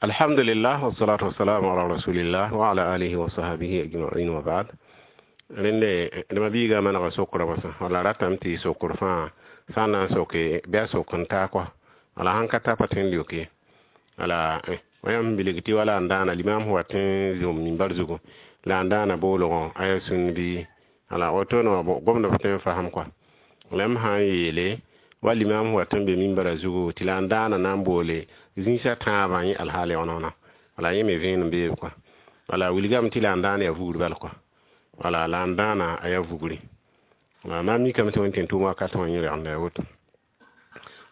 Alhamdulillah wassalatu wassalamu ala rasulillah wa ala alihi wa sahbihi ajma'in wa ba'd. Rẽnde dẽma biigã manega sokra mosã. Wala ratame tɩ sokr fãa sã n na n soke bɩ a sok n taa kɔa. Wala sãn ka ta pa tõe n leok ye. Wala yãmb bilg tɩ wala n dãana limam sẽn wat n zõm mimbar zugu la n dãana boolgõ a yaa sũn bɩ wala wotone wã gomd f tõe n fasem kɔa. La m sã n yeele wa limam sẽn wat n be mimbara zugu tɩ la n dãana na n boole zĩisã tãabã yẽ alhaal wãna wãna. Wala yẽ me vẽenem beebe kɔa. Wala wilgame tɩ la n dãana yaa vugr bal kɔa. Wala la n dãana a yaa vugri. Wala na n mikame tɩ wẽn tɩ n tʋʋm wakat wã yẽ rẽgenda yaa woto.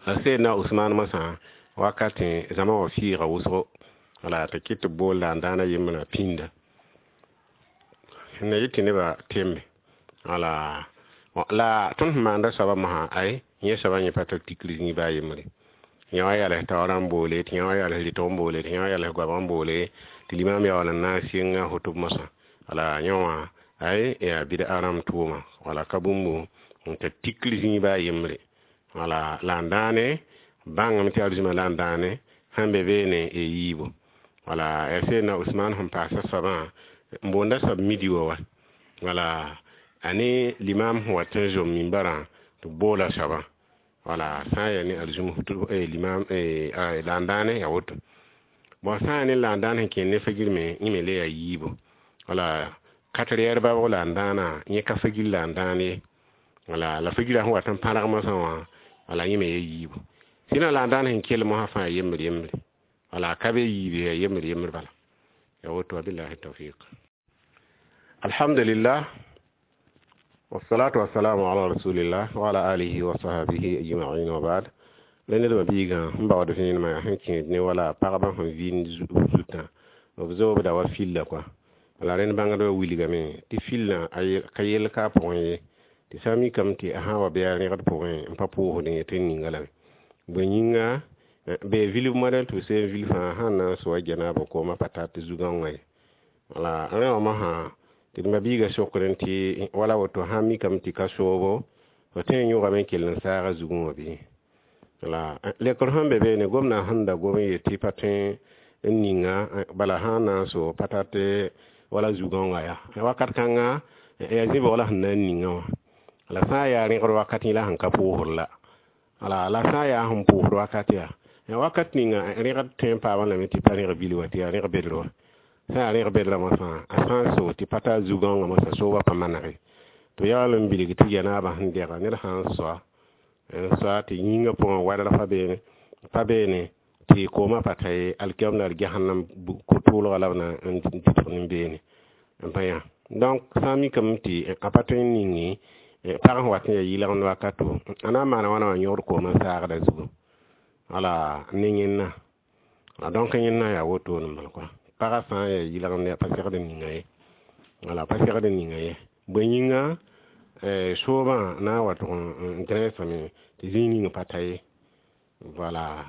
La Seydna Usmaan mosã wakatẽ zãma wã fiiga wʋsgo. Wala tɩ kɩt tɩ b bool la n dãana yembrã pĩnda. Na yɩ tɩ nebã tembe. Wala la tõnd sẽn maanda soabã mosã ay yẽ soabã yẽ pa tar tikr zĩig baa yembre. Yã wa yals taoorã n boole, tɩ yã wa yals rɩtg n boole, tɩ yã wa yals goabg n boole, tɩ limam yaool n na n sɩng a hotb mosã. Wala yẽ wã ay yaa bɩd-a rãmb tʋʋma. Wala ka bũmb n tar tikr zĩig baa yembre. Wala la n dãane bãngame tɩ arzũmã la n dãane sẽn be beene y yiibu. Wala yaa Seydna Usmaan sẽn paasa soabã n boonda soab midi wa wa. Wala a ne limam sẽn wat n zom mimbarã tɩ b boola soabã. Wala sã n yaa ne arzũm limam la n dãane yaa woto. Bon sã n yaa ne la n dãan sẽn kẽer ne fagir me yẽ me le yaa yiibu. Wala quatre heures baoog la n dãana yẽ ka fagir la n dãan ye. Wala la fagirã sẽn wat n pãrg mosã wã wala yẽ me yaa yiibu. Sɩdã la n dãan sẽn kell mosã fãa yembr yembre. Wala ka be yiib yaa yembr yembr bala. Yaa woto wa billahi tawfiq. Alhamdulillah wassalatu wassalamu ala rasulillah wa ala alihi wa sahbihi ajma'in wa ba'd. La nedbã biigã sẽn baood vẽenemã yaa sẽn kẽed ne wala pagba sẽn vɩɩnd zutã b zoobda wa filla kɔa. Wala rẽnd bãngdbã wilgame tɩ fillã ka yell ka a pʋgẽ ye. Tɩ sã n mikame tɩ a sã n wa bɩ a rẽgd pʋgẽ n pa pʋʋsdẽ ye tɩ n ninga lame. Bõe yĩnga be vilf modɛl tɩ b seen vil fãa sãn na n soa janaaba koomã pa tar tɩ zu-gãongã ye. Wala rẽ wã mosã tɩ d ma-biigã sokrẽ tɩ wala woto sã n mikame tɩ ka soobo Fo tõe n yõgame n kell n saaga zugẽ wã bɩ? La lekr sẽn be beene, gomdã sẽn da gom n yet tɩ pa tõe n ninga bala sã n na n so pa tar tɩ wala zu-gãongã yaa wakat kãnga yaa zĩ-bʋg la sẽn na n ninga wã. La sã n yaa rẽgd wakat yẽ la sẽn ka pʋʋsd la. Wala la sã n yaa sẽn pʋʋsd wakat yaa wakat ninga rẽgd tõe n paamã lame tɩ pa rẽg bil wa, tɩ yaa rẽg bedr wa. Sã n yaa rẽg bedrã mosã, a sã n so tɩ pa tar zu-gãongã mosã soobã pa manege. Tɩ b yaool n bilg tɩ yanaabã sẽn dɛga ned sã n soa n soa tɩ yĩngã pʋgẽ wadr pa beene pa beene tɩ koomã pa ta ye, alkiam la jahannam ko-tʋʋlga la b na n dɩtg nin-beene n pa yã. Donc sã n mikame tɩ a pa tõe n ninge pag sẽn wat n yaa yɩlgemd wakato, a na n maana wãna wã yõgd koomã saagda zugu. Wala ne yẽnna. Donc yẽnna yaa wotone n bala kɔa. Pagã sã n yaa yɩlgemd yaa pa segd n ninga ye. Wala pa segd n ninga ye. Bõe yĩnga soobã na n wa tʋg n gẽnesame tɩ zĩig ning pa ta ye. Voilà.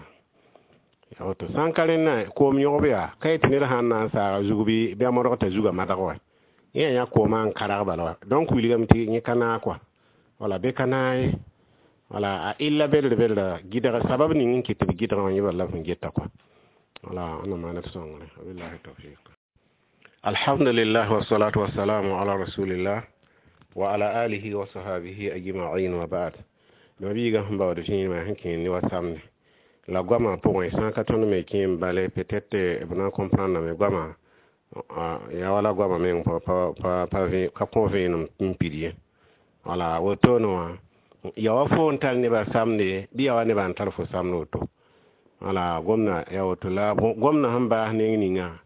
Yaa woto. Sã n ka rẽnna koom yõgb yaa ka yet tɩ ned sã n na n saaga zug bɩ bɩ a modg t'a zugã madg wa. Yẽ yaa yã koomã n karg bala wa. Donc wilgame tɩ yẽ ka naag kɔa. Wala be ka naag ye. Wala a illa bedr bedra gɩdg sabab ning n kɩt tɩ b gɩdgã wã yẽ bala la b sẽn geta kɔa. Wala Wẽnnaam maan d sõngre. Wabillahi tawfiq. Alhamdulillah wassalatu wassalamu ala rasulillah wa ala alihi wa sahabihi ajma'in wa ba'd. Nabiiga sẽn baood vẽenemã sẽn kẽer ne wa samde la goamã pʋgẽ sã n ka tõnd me kẽ n bale, peut-être b na n comprendre me goamã yaa wala goamã meng pa pa pa ka kõ vẽenem n pid ye. Wala wotone wã ya wa fo n tar nebã samde bɩ ya wa nebã n tar fo samd woto. Wala gomdã yaa woto la gomdã sẽn baas neng ninga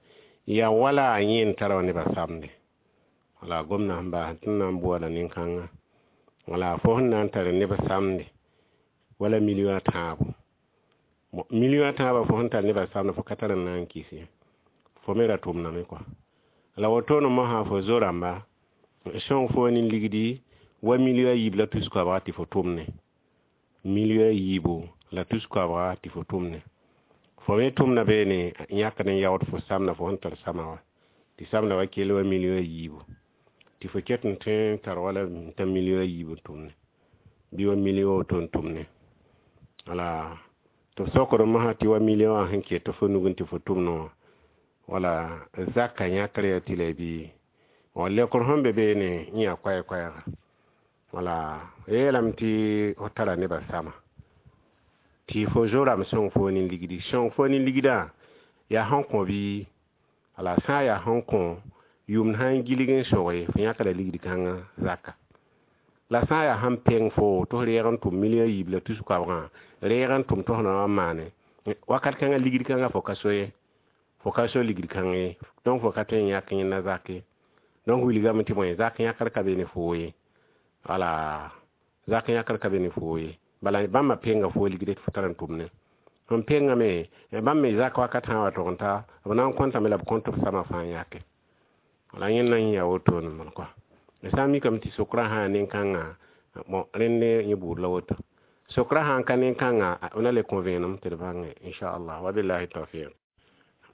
yaa wala a yẽ n tara wa nebã samde. Wala gomdã sẽn baas tɩ n na n bʋa la nin-kãnga. Wala fo sẽn na n tar neb samde wala million tãabo. Million tãabã fo sẽn tar nebã samde fo ka tar n na n kɩs ye. Fo me ra tʋmdame kɔa. La wotone mosã fo zo-rãmba sõng fo ne ligdi wa million a yiib la tus koabga tɩ fo tʋmne. Million a yiibo la tus koabga tɩ fo tʋmne. Fo me tʋmda beene yãkd n yaood fo samda fo sẽn tar sama wa. Tɩ samda wa kell wa million a yiibo. Tɩ fo ket n tõe n tar wala t'a million a yiib n tʋmne. Bɩ wa million woto n tʋmne. Wala tɩ b sokd mosã tɩ wa million wã sẽn ket fo nugẽ tɩ fo tʋmne wã. Wala zaka yãkr yaa tɩ la bɩ wa lekr sẽn be beene yẽ yaa koɛɛ-koɛɛga. Wala yeelame tɩ fo tara nebã sama tɩ fo zo-rãmb sõng fo ne ligdi. Sõng fo ne ligdã yaa sẽn kõ bɩ? Wala sã n yaa sẽn kõ, yʋmd sã n gilg n soge fo yãkda ligd kãngã zaka. La sã n yaa sẽn peng fo tɩ f reeg n tʋm million yiib la tus koabgã, reeg n tʋm tɩ f na wa n maane wakat kãngã ligd kãngã fo ka so ye. Fo ka so ligd kãng ye. Donc fo ka tõe n yãk yẽnda zak ye. Donc wilgame tɩ bõe zak yãkr ka be ne foo ye. Wala zak yãkr ka be ne foo ye. Bala bãmba penga fo ligd tɩ fo tar n tʋmne. Sẽn pengame bãmb me zak wakat sã n wa tʋg n ta b na n kõtame la b kõt b samã fãa yãke. Wala yẽnda yẽ yaa wotone n bala kɔa. Sã n mikame tɩ sokrã sã n nin-kãngã bon rẽnd yẽ buud la woto. Sokrã sã n ka nin-kãngã b na le kõ vẽenem tɩ d bãnge inchallah. Wabillahi tawfiq.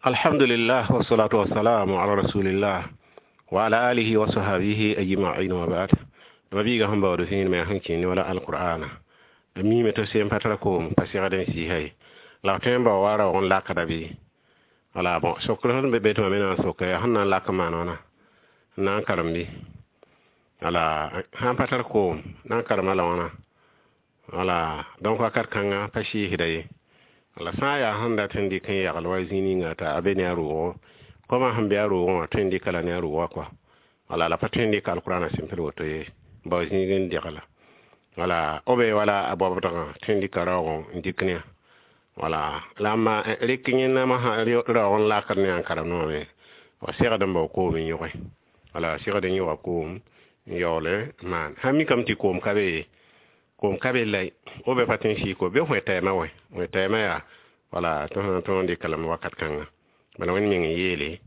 Alhamdulillah wassalatu wassalamu ala rasulillah wa ala alihi wa sahabihi ajma'in wa ba'd. Mabiiga sẽn baood vẽenemã sẽn kẽ ne wala alqur'ana. B miime tɩ sem pa tara koom pa segd n sɩɩsa ye. La f tõe n bao wa raoog n lakda bɩ? Wala bon sokr sẽn be be tɩ mam me na n soka yaa sẽn na n lak n maan wãna n na n karem bɩ? Wala sã n pa tar koom na n karema la wãna? Wala donc wakat kãnga pa sɩɩsda ye. La sã n yaa sẽn dat n dɩk n yagl wa zĩig ninga t'a be ne a roogɔ, koma sẽn be a roogẽ wã tõe n dɩka la ne a roogã kɔa. Wala la pa tõe n dɩk alqur'ana sẽn woto ye bao zĩig n degla. Wala b be wala a baobdgã tõe n dɩka raoog n dɩk ne a. Wala la ma rɩk yẽnna mosã raoog n lakd ne a n karemd wã me wa segd n bao koom n yõge. Wala segd n yõga koom n yaool n maan. Sã n mikame tɩ koom ka be ye, koom ka be la b be pa tõe n sɩɩg ko bɩ wẽ tɛɛmã wɛ wẽ tɛɛmã yaa wala tɩ sã tõog n dɩka lame wakat kãnga. Bala Wẽnd meng n yeele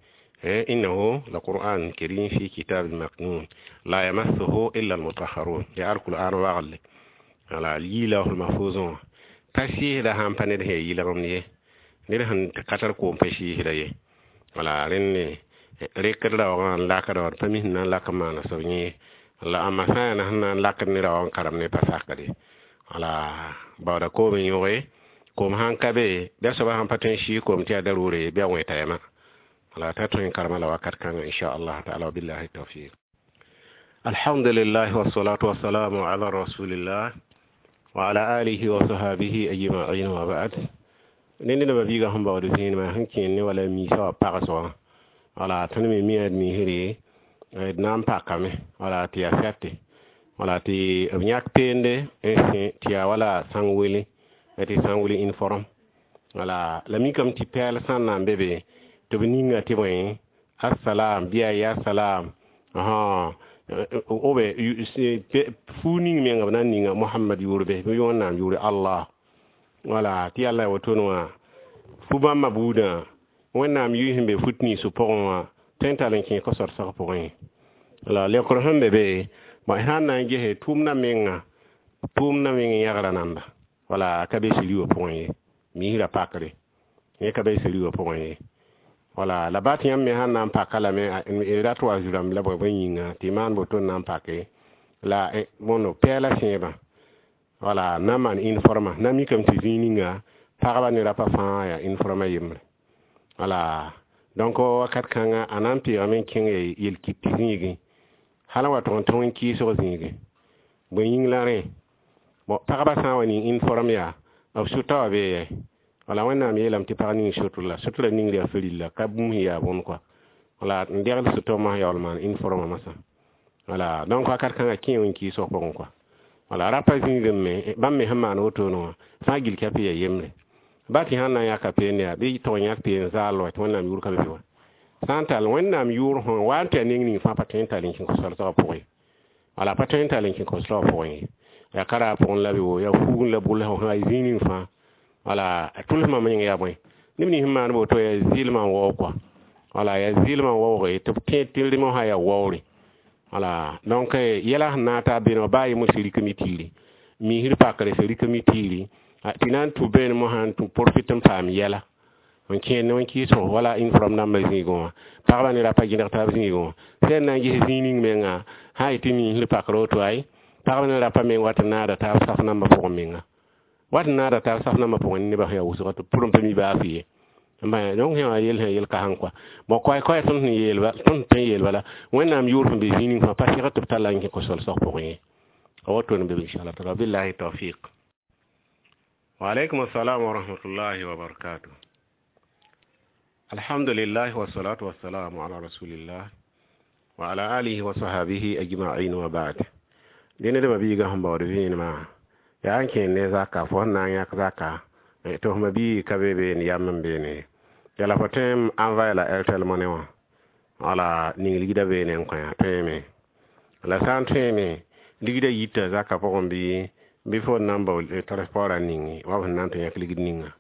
innahu la qur'an karim fi kitabin maknun la yamassuhu illa almutahharun. Yaa alqur'an wagle. Wala yiilahul mahfuzẽ wã pa sɩɩsda sãn pa ned sẽn yaa yɩlgemd ye. Ned sẽn ka tar koom pa sɩɩsda ye. Wala rẽnd rekd raoogã n lakda wã d pa mi sẽn na n lak n maana soab yẽ. La ãmba sã n yaa sẽn na n lakd ned wã n karem ne pa sakde. Wala baooda koom n yõge koom sãn ka be bɩa soaba sãn pa tõe n sɩɩg koom tɩ yaa darʋʋre bɩ a wẽeta yɛma. Wala t'a tõe n karema la wakat kãngã inchallah taala. Wabillahi tawfiq. Alhamdulillah wassalatu wassalamu ala rasulillah wa ala alihi wa sahabihi ajma'in wa ba'd. Ned ned biiga sẽn baood zĩinimã sẽn kẽer ne wala miisã wã pagsg wala tõnd me mi d miisre d na n pakame wala tɩ yaa sɛte wala tɩ b yãk peende n sẽ tɩ yaa wala sãn-wele tɩ sãn-wel uniforme. Wala la mikame tɩ pɛɛl sã n na n be be tɩ b ninga tɩ bõe assalam bɩ a yaa salam obe fuu ning menga b na n ninga Mohamad yʋʋr be bɩ Wẽnnaam yʋʋre Allah. Wala tɩ yalla wotone wã fu bãmba buudã Wẽnnaam yʋy sẽn be fut ninsã pʋgẽ wã tõe n tall n kẽ ko-sodsg pʋgẽ. La leokr sẽn be be sã n na n gese tʋʋmdã menga tʋʋmdã meng n yãgra nanda wala ka be siri wã pʋgẽ ye miisrã pakre yẽ ka be siri wã pʋgẽ ye. Wala la ba tɩ yãmb me sãn na n paka lame d rat wa zu-rãmb la bõe bõe yĩnga tɩ maan woto n na n pake la bõndo pɛɛlã sẽebã wala na n maan uniformã na mikame tɩ zĩig ninga pagba ne rapa fãa yaa uniformã yembre. Wala donc wakat kãnga a na n peegame n kẽng yel-kit zĩigẽ hal n wa tʋg n tõ n kɩɩsg zĩigẽ bõe yĩng la rẽ bon pagba sã n wa ning uniforme yaa b sʋta wã bee yɛ. Wala Wẽnnaam yeelame tɩ pag ning sotr la sotrã ningr yaa farilla ka bũmb sẽn yaa bõnd kɔa wala n degl sʋtɔ mosã yaool maan uniformã mosã. Wala donc wakat kãngã kẽ wẽn kɩɩsg pʋgẽ kɔa. Wala rapa zĩigẽ me bãmb me sẽn maan wotone wã fãa gill ka yaa yembre ba tɩ sãn na n yãka peende yaa bɩ tog n yãk peen zaal wa tɩ Wẽnnaam yʋʋr ka be be wã sã n tall Wẽnnaam yʋʋr sẽn wa n tɩ a neng ning fãa pa tõe n tall n kẽ ko-soalsgã pʋgẽ. Wala pa tõe n tall n kẽ ko-soalsgã pʋgẽ ye yaa ka raab pʋgẽ la be wo yaa fuugẽ la bʋls sã ya zĩig ning fãa. Wala tʋlsmã meng yaa bõe neb nins sẽn maan woto yaa zɩlmã n waoog kɔa. Wala yaa zɩlmã n waooge tɩ b tẽ tɩ rem sã yaa waoore. Wala donc yɛla sẽn na n taa beene wã baa yembr sẽn rik mi tiiri miisr pakre sẽn rik mi tiiri tɩ na n tũ beene mosã n tũ profit n paam yɛla n kẽer ne wẽn-kɩɩsg wala uniforme rãmbã zĩigẽ wã pagba ne rapa gẽneg taab zĩigẽ wã sẽn na n ges zĩig ning menga sã n yetɩ miisr pakr woto ay pagba ne rapa meng wat n naada taab saf nambã pʋgẽ menga wat n naada taab saf nambã pʋgẽ nebã sẽn yaa wʋsga tɩ pʋrẽ pa mi baa fɩ ye. Donc sẽn wã yel sẽn yel kasem kɔa bon koɛɛ koɛɛ tõnd sẽn yeelba tõnd tõe n yeel bala Wẽnnaam yʋʋr sẽn be zĩig ning fãa pa sɩgd tɩ b talla n kẽ ko-soalsg pʋgẽ ye a wotone be inshallah taala. Billahi tawfiq. Wa alaikum assalam wa rahmatullahi wa barakatuh. Alhamdulillah wassalatu wassalamu ala rasulillah wa ala alihi wa sahabihi ajma'in wa ba'd. Dẽne dẽma biiga sẽn baood vẽenemã yaa n kẽer ne zaka fo sẽn na n yãk zaka tɩ f ma-bii ka be beene yam n beene yala fo tõe n envoyer la Airtel Money wã wala ning ligda beene n kõ tõeme la sã n tõeme ligda yita zaka pʋgẽ bɩ bɩ fo n na n bao transport a ninge wa f sẽn na n tɩ yãk ligd ninga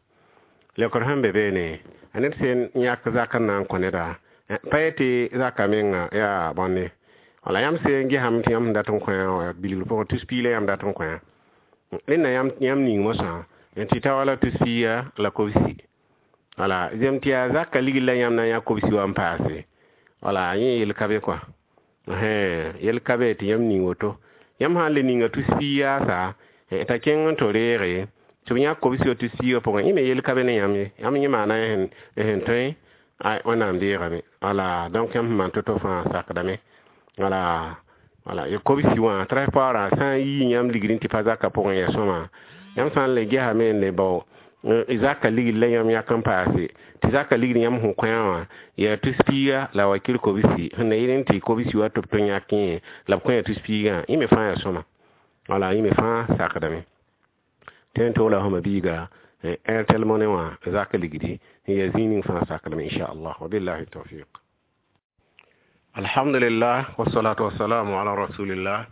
leokr sẽn be beene a ned sẽn yãk zak n na n kõ neda pa yetɩ zaka menga yaa bõnde wala yãmb sẽn gesame tɩ yãmb sẽn dat n kõ bilgr pʋgẽ tus piig la yãmb dat n kõ rẽnda yãmb ning mosã tɩ ta wala tus piiga la kobsi wala zem tɩ yaa zaka ligd la yãmb na n yã kobsi wã n paase wala yẽ yel ka be kɔa yel ka be tɩ yãmb ning woto yãmb sã n le ninga tus piig yaasa t'a kẽng n tɩ reege tɩ b yãk kobsi wa tus piigã pʋgẽ yẽ me yel ka be ne yãmb ye yãmb yẽ maana sẽn tõe Wẽnnaam deegame. Wala donc yãmb sẽn maan to-to fãa sakdame wala wala kobsi wã transport sã n yii yãmb ligd tɩ pa zaka pʋgẽ yaa sõma yãmb sã n le gesame n le bao zaka ligd la yãmb yãk n paase tɩ zaka ligd yãmb sẽn kõ wã yaa tus piiga la wakir kobsi sẽn na yɩl n tɩ kobsi wa tɩ b tõe yãk yẽ la b kõ yaa tus piigã yẽ me fãa yaa sõma wala yẽ me fãa sakdame tõe n togla fãma biiga Airtel Money wã zak ligdi n yaa zĩig ning fãa sakdame inchallah. Wabillahi tawfiq. Alhamdulillah wassalatu wassalamu ala rasulillah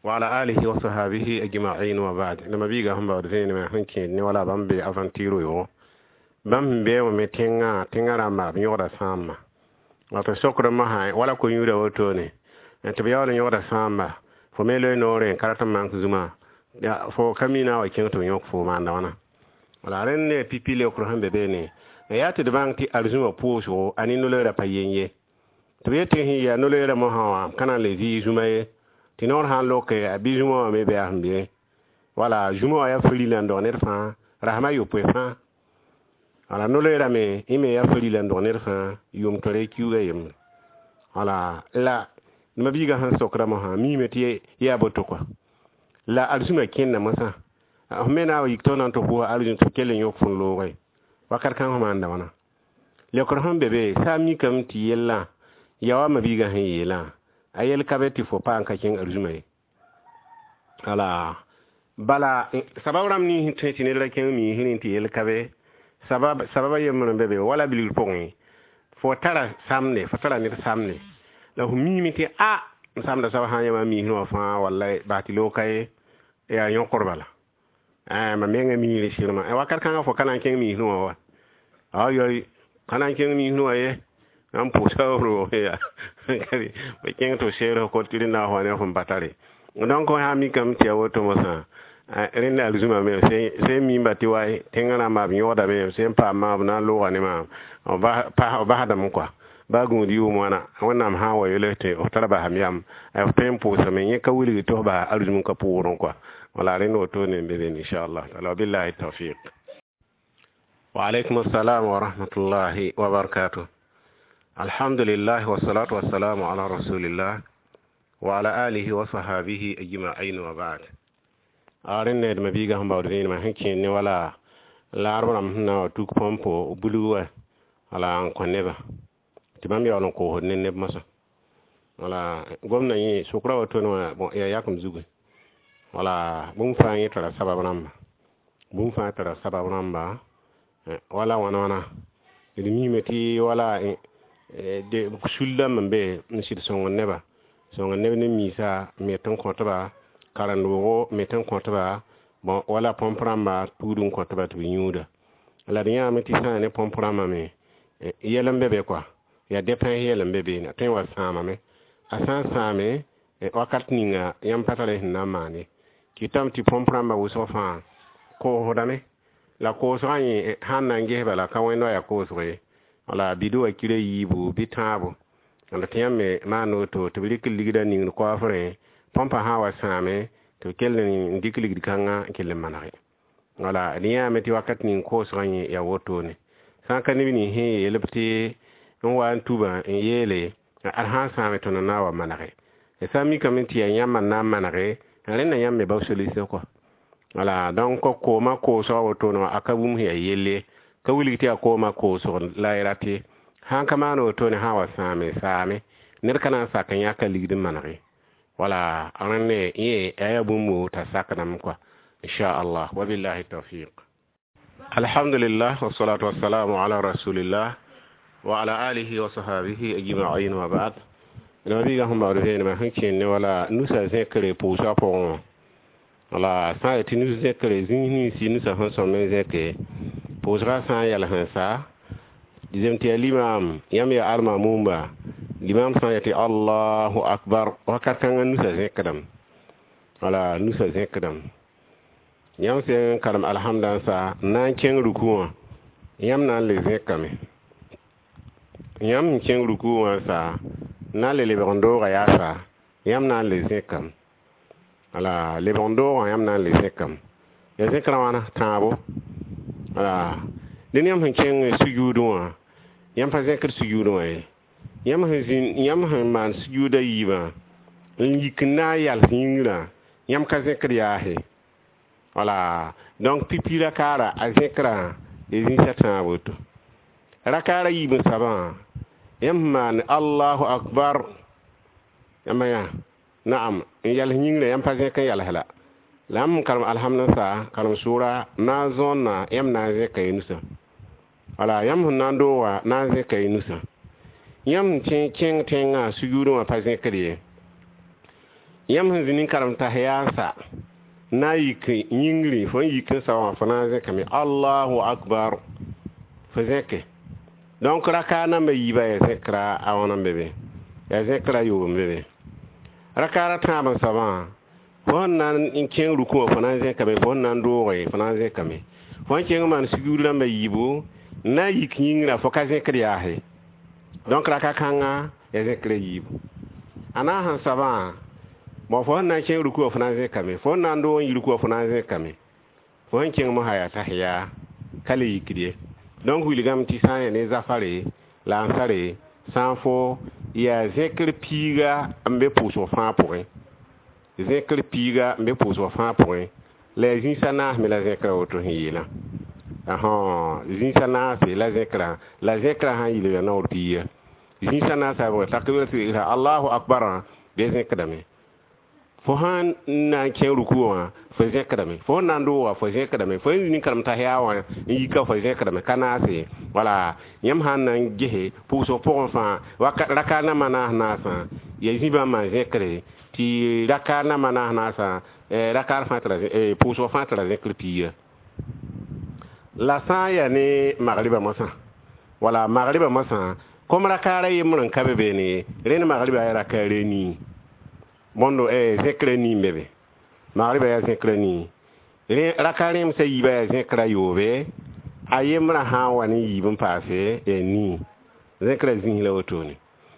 wa ala alihi wa sahabihi ajma'in wa ba'd. Lama biiga sẽn baood vẽenemã sẽn kẽed ne wala bãmb be aventure yo bãmb sẽn bee wã me tẽngã tẽngã rãmba b yõgda sãamba wato sokd mosã wala ko-yũudã wotone tɩ b yaool n yõgda sãamba fo me loe noorẽ n ka rat n mank zũma fo ka mina wa kẽng tɩ b yõk fo maanda wãna. Wala rẽnd ne pipi leokr sẽn be beene yaa tɩ d bãng tɩ arzũmã pʋʋsgo a ne no-loeerã pa yen ye tɩ b yetɩ sẽn yaa no-loeerã mosã wã ka na n le vɩɩ zũma ye. Tɩ noor sã n loke a bɩ zũma wã me bɩ a sẽn be wala zũma wã yaa farila n dog ned fãa rasem a yopoe fãa wala no-loeera me yẽ me yaa farila n dog ned fãa yʋʋm tore kiuugã yembre wala la ma-biigã sẽn sokda mosã miime tɩ yaa boto kɔa la arzũma kẽnda mosã f me na n wa yik tɩ f na n tɩ pʋʋsa arzũm tɩ f kell n yõk fõn loogã wakat kãng f maanda wãna leokr sẽn be be sã n mikame tɩ yellã ya wa ma-biigã sẽn yeelã a yell ka be tɩ fo paam ka kẽng arzũma ye wala bala sabab rãmb nins tõe tɩ ned ra kẽng miisrẽ tɩ yell ka be sabab sababa yembr n be be wala bilgr pʋgẽ fo tara samde fo tara ned samde la f miime tɩ a n samda soab sã n yã miisrẽ wã fãa wallay bas tɩ loog ka ye yaa yõkr bala mam menga miisrẽ sɩrmã wakat kãngã fo ka na n kẽng miisrẽ wã wa ayoy ka na n kẽng miisrẽ wã ye n pʋʋsa roog ya b kẽng tɩ f seer f kot tɩ rẽnda wa ne f n pa tare donc sã n mikame tɩ yaa woto mosã rẽnda arzũma me sẽn miimba tɩ wa tẽngã rãmba b yõgdame sẽn paam b na n looga ne maam b basdame kɔa baa gũud yʋʋm wãna wẽnnaam sã n wa yele tɩ f tara basam yam f tõe n pʋʋsame yẽ ka wilg tɩ f bas arzũm ka pʋʋrẽ kɔa wala rẽnd wotone n be be inchallah taala wabillahi tawfiq wa alaykum assalam wa rahmatullahi wa barakatuh alhamdulillah wassalatu wassalamu ala rasulillah wa ala alihi wa sahabihi ajma'in wa ba'd a rẽnd d ma-biigã sẽn baood vẽenemã sẽn kẽer ne wala laarb rãmb sẽn na n wa tuk põmpo bulg wa wala n kõ nebã tɩ bãmb yaool n koosd ne neb mosã wala gomdã yẽ sʋkra wotone wã bon yaa yakem zugu wala bũmb fãa yẽ tara sabab rãmba bũmb fãa tara sabab rãmba wala wãna wãna d miime tɩ wala sul dãmb n be n sɩd sõngd neba sõngd neb ne miisa me tɩ n kõtba karen-doogo me tɩ n kõtba bon wala põmp rãmba tuud n kõtba tɩ b yũuda la d yãame tɩ sã n ne põmp rãmbã me yɛl n be be kɔa yaa depẽs yɛl n be beene a tõe n wa sãamame a sã n sãame wakat ninga yãmb pa tara sẽn na n maan ye kɩtame tɩ põmp rãmbã wʋsg fãa koosdame la koosgã yẽ sãn na n ges bala ka wẽnd wa yaa koosg ye wala bɩd wa kira yiibu bɩ tãabo la tɩ yãmb me maan woto tɩ b rɩk ligdã ningd koafrẽ põmpã sã n wa sãame tɩ b kell n dɩk ligd kãngã n kell n manege wala d yãame tɩ wakat ning koosgã yẽ yaa wotone sã n ka neb nins sẽn yeel b tɩ n wa n tubã n yeele ad sã n sãame tõnd na n wa manege sã n mikame tɩ yaa yãmb n na n manege rẽnda yãmb me bao solution kɔa wala donc koomã koosgã wotone wã a ka bũmb sẽn yaa yell ye ka wilg tɩ yaa koomã koosg la y rat ye sãn ka maan wotone sã n wa sãame saame ned ka na n sak n yãka ligd n manege wala rẽnd yẽ a yaa bũmb t'a sakdame kɔa inchallah wabillahi tawfiq alhamdulillah wassalatu wassalamu ala rasulillah wa ala alihi wa sahabihi ajma'in wa ba'd ma-biigã sẽn baood vẽenemã sẽn kẽer ne wala nusa zẽkre pʋʋsga pʋgẽ wã wala sã n yaa tɩ nus zẽkre zĩis ninsi nusã sẽn sõm n zẽke pʋʋsgã sã n yals n sa dɩzem tɩ yaa limaam yãmb yaa almamumba limaam sã n yaa tɩ allahu akbar wakat kãngã nusã zẽkdame wala nusã zẽkdame yãmb sẽn karem alhamda n sa n na n kẽng ruku wã yãmb na n le zẽkame yãmb sẽn kẽng ruku wã sa n na n le lebg n doogã yaasa yãmb na n le zẽkame wala lebg n doogã yãmb na n le zẽkame ya zẽkrã wãna tãabo wala dẽn yãmb sẽn kẽng sujuudẽ wã yãmb pa zẽkd sujuudẽ wã ye yãmb sẽn zĩnd yãmb sẽn maan sujuudã yiibã n yik n na n yals yĩngrã yãmb ka zẽkd yaase wala donc pipi rakaara a zẽkrã d zĩisa tãab woto rakaara yiib n sabã yãmb sẽn maan allahu akbar yãmba yã naam n yals yĩngrã yãmb pa zẽk n yals la la yãmb n karem alhamd n sa karem sʋʋra na n zõonna yãmb na n zẽka y nusã wala yãmb sẽn na n dooga na n zẽka y nusã yãmb sẽn kẽng tẽngã sujuudẽ wã pa zẽkd ye yãmb sẽn zĩnd n karem tahiya n sa na n yik yĩngri fo n yik n sa wã fo na n zẽkame allahu akbar fo zẽke donc raka namba yiibã yaa zẽkra a wãna n be be yaa zẽkra yoob n be be rakaara tãab n soabã fo sẽn na n kẽng rukũ wã fo na n zẽkame fo sẽn na n dooge fo na n zẽkame fo sẽn kẽng n maan sujuud rãmba yiibu n na n yik yĩngrã fo ka zẽkd yaase donc raka kãngã yaa zẽkra yiibu a na n sẽn soabã Bon, fo sẽn na n kẽng ruku wã fo na n zẽkame, fo sẽn na n doog n yi ruku wã fo na n zẽkame, fo sẽn kẽng mosã yaa tahiya ka le yikd ye. Donc wilgame tɩ sã n yaa ne zafare la ansare sã n fo yaa zẽkr piiga n be pʋʋsg fãa pʋgẽ, zẽkr piiga n be pʋʋsg fãa pʋgẽ, la yaa zĩis a naas me la zẽkra woto sẽn yeelã. Zĩis a naase la zẽkrã, la zẽkrã sã n yɩl yaa naoor piiga zĩis a naasã bʋgẽ takbira allahu akbarã bɩ zẽkdame. Fo sãn na n kẽ ruku wã fo zẽkdame, fo sẽn na n dooga fo zẽkdame, fo sẽn zĩnd karem tahiya wã n yika fo zẽkdame, ka naase. Wala yãmb sãn na n gese pʋʋsg pʋgẽ fãa raka namba naas naasã yaa zĩ bãmb maan zẽkre tɩ raka namba naas naasã rakaar fãa tara pʋʋsg fãa tara zẽkr piiga. La sã n yaa ne magriba mosã, wala magriba mosã kom rakaara yembr n ka be beene ye, rẽnd magriba yaa rakaar nii bõndo zẽkra nii n be be, magriba yaa zẽkra nii, raka rẽemsã yiibã yaa zẽkra yoobe, a yembrã sã n wa ne yiib n paase yaa nii, zẽkra zĩis la wotone.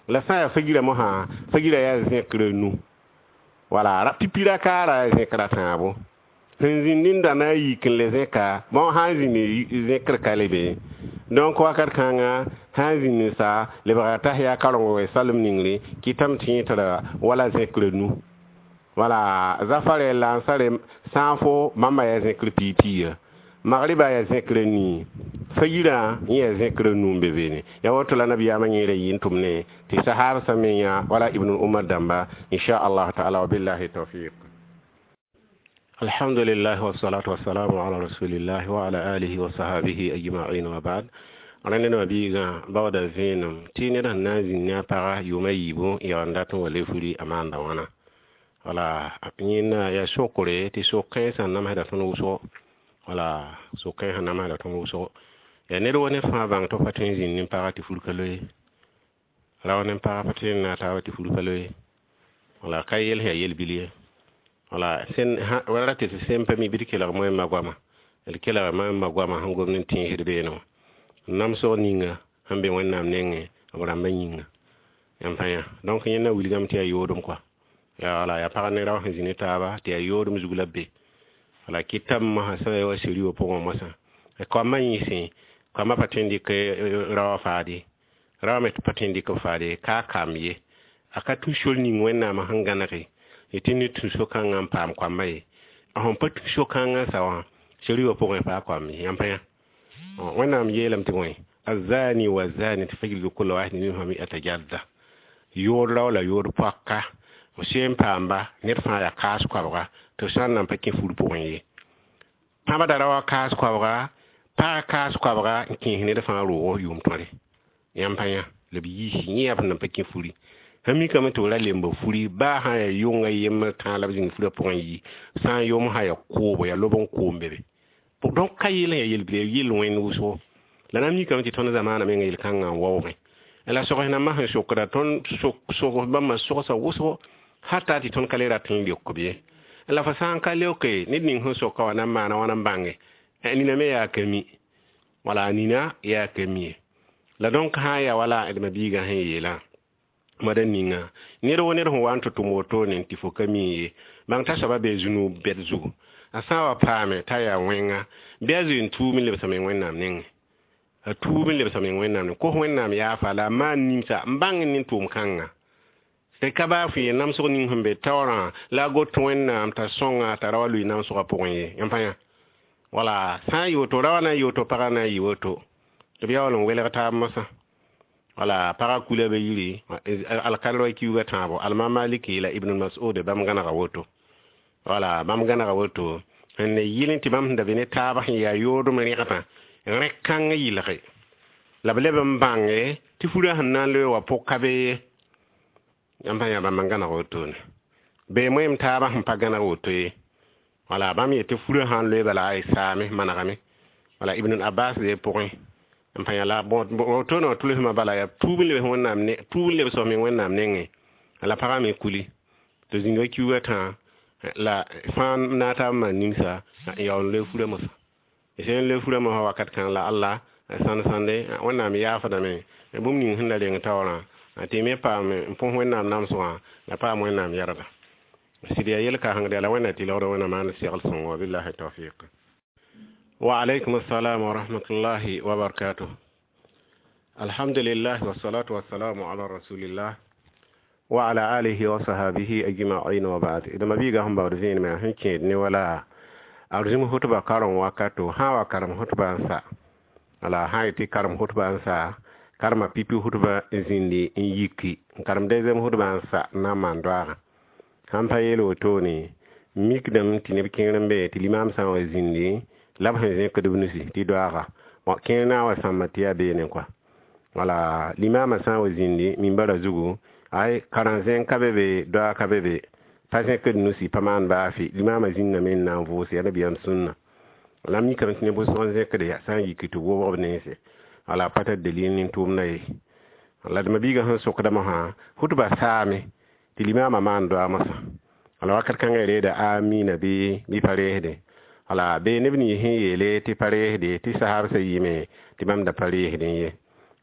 La sã n yaa fagira mosã, fagira yaa zẽkra nu, wala pipi rakaara yaa zẽkra tãabo, sẽn zĩnd n da na n yik n le zẽka bõn sã n zĩnd zẽkr ka le be. Donc wakat kãnga sã n zĩnd n sa lebga tahiya karengo salem ningre kɩtame tɩ yẽ tara wala zẽkr nu. Wala zafare la ansare sã n fo bãmba yaa zẽkr piig piiga, magriba yaa zẽkr nii, fayirã yẽ yaa zẽkr nu n be beene. Yaa woto la nabiyaamã yẽera yɩ n tʋmne tɩ sahaab sã me yã wala ibn umar dãmba inchallah taala. Wabillahi tawfiq. Alhamdulillah wassalatu wassalamu ala rasulillah wa ala alihi wa sahabihi ajma'in wa ba'd. Rẽnd nebã biigã baooda vẽenem tɩ ned sẽn na n zĩnd ne a paga yʋʋma yiibu n yaool n dat n wa le furi a maanda wãna. Wala yẽnda yaa sokre tɩ sok-kãensã namsda tõnd wʋsgo, wala sok-kãensã namsda tõnd wʋsgo. Yaa ned wa ned fãa bãng tɩ f pa tõe n zĩnd ne paga tɩ fur ka loe, rao ne paga pa tõe n na taaba tɩ fur pa loe, wala ka yel sẽn yaa yel-bil ye. Wala sẽn wala ra tɩ sẽn pa mi bɩ d kelg moẽmba goama, d kelga moẽmba goama sẽn gomd n tẽesd beene wã namsg ninga sẽn be Wẽnnaam nengẽ b rãmbã yĩnga yãmb pa yã. Donc yẽnda wilgame tɩ yaa yoodem kɔa, yaa wala yaa pag ne rao sẽn zĩ ne taaba tɩ yaa yoodem zug la b be. Wala kɩtame mosã sã n ya wa seri wã pʋgẽ mosã koamã yĩsẽ koamã pa tõe n dɩk raoã faade, raoã me pa tõe n dɩk b faade ka a kamb ye, a ka tũ sor ning Wẽnnaamã sẽn gãnege tɩ ned tũ so-kãngã n paam koambã ye. A sẽn pa tũ so-kãngã sa wã seri wã pʋgẽ paa koam ye, yãmb pa yã. Wẽnnaam yeelame tɩ bõe azani wa zaniyati fajlidu kulla wahidin minhuma mi'ata jalda, yood rao la yood poaka f seen paamba ned fãa yaa kaas koabga tɩ b sã n nan pa kẽ fur pʋgẽ ye. Pãbda raoã kaas koabga, pagã kaas koabga n kẽes ned fãa roogo yʋʋm tõre, yãmb pa yã la b yiisi yẽ yaa b sẽn nan pa kẽ furi. Sẽn mikame tɩ b ra lemba furi baa sã n yaa yʋnga yembr tãa la b zĩng furã pʋgẽ yi, sã n yom sã yaa koobo yaa lob n koom be be. Donc ka yel n yaa yel-bil yaa yel wẽnd wʋsgo. La na n mikame tɩ tõnd zamaanã menga yel-kãngã n waoogẽ. La sogs nambã sẽn sokda tõnd sogs bãmba sogsa wʋsgo hata tɩ tõnd ka le rat n leok b ye. La fo sã n ka leoke ned ning sẽn soka wã na n maana wãna n bãnge nina me yaa ka mi, wala nina yaa ka mi ye. La donc sã n yaa wala d ma-biigã sẽn yeelã moada ninga ned wo ned sẽn wa n tɩ tʋm wotone tɩ fo ka mi ye, bãng t'a soaba bee zũnug bɛd zugu, a sã n wa paame t'a yaa wẽnga bɩ a zoe n tuub n lebsame Wẽnnaam nengẽ, a tuub n lebsame Wẽnnaam nengẽ, kos Wẽnnaam yaafa la a maan nimsa n bãng ne tʋʋm kãnga. Tɩ ka baa fo yẽ namsg ning sẽn be taoorã la a got Wẽnnaam t'a sõnga t'a ra wa lʋɩ namsgã pʋgẽ ye, yãmb pa yã. Wala sã n yɩ woto raoã na n yɩ woto pagã na n yɩ woto tɩ b yaool n welg taab mosã. Wala pagã kula be yiri alkalr wa kiuugã tãabo alma maliki la ibn mas'ud bãmb gãnega woto, wala bãmb gãnega woto sẽn ne yɩl tɩ bãmb sẽn da be ne taab sẽn yaa yoodem rẽgdã rẽ-kãng yɩlge la b leb n bãnge tɩ furã sẽn na n loe wa pʋg ka be ye, yãmb sã yaa bãmb n gãneg wotone. Bee moeem taabã sẽn pa gãneg woto ye, wala bãmb yetɩ furã sã n loe bala a saame manegame, wala ibn abbas de pʋgẽ n pa yã la wotone wã tʋlsmã bala yaa tuub n lebs Wẽnnaam ne tuub n lebs me Wẽnnaam nengẽ la pagã me kuli tɩ zĩnga kiuugã tãa la fãa na taab n maan nimsa n yaool n loe furã mosã. Sẽn loe furã mosã wakat kãng la Allah sãnd sãnde Wẽnnaam yaafdame bũmb ning sẽn da reng taoorã tɩ me paam n põs Wẽnnaam namsgã la paam Wẽnnaam yɛrda. Sɩd yaa yel-kãsengd la Wẽnna tɩ laood Wẽnna maan segl sõngo. Wabillahi tawfiq. Wa alaykum assalam wa rahmatullahi wa barakatuh. Alhamdulillah, wassalatu wassalamu ala rasulillah wa ala alihi wa sahabihi ajma'in, wa ba'd. D ma-biigã sẽn baood vẽenemã sẽn kẽed ne wala a rũm hʋtba karem wakato sã wa karem hʋtba n sa, wala sã yetɩ karem hʋtba n sa, karema pipi hʋtba n zĩndi n yiki n karem deuxième hʋtba n sa n na n maan doaagã. Sãn pa yeel wotone, mikdame tɩ neb kẽer n be tɩ limaam sã n wa zĩndi la b sẽn zẽkd b nusi tɩ doaaga. Bon, kẽer na n wa sãmba tɩ yaa beene kɔa. Wala limaamã sã n wa zĩndi mimbara zugu, ay karen-zẽng ka be be, doaag ka be be, pa zẽkd nusi, pa maan baafɩ, limaamã zĩndame n na n vʋʋs yaa nabiyaam sũnna. La m mikame tɩ neb wʋsg n zẽkde yaa sã n yiki tɩ wobg b nense, wala pa tar dalil nin-tʋʋmda ye. La d ma-biigã sẽn sokda mosã, hʋtba saame tɩ limaamã maan doaag mosã, wala wakat kãngã reeda amina bɩ bɩ pa reesde. Wala bee neb nins sẽn yeele tɩ pa reesde, tɩ sahabsã yɩme tɩ bãmb da pa reesdẽ ye.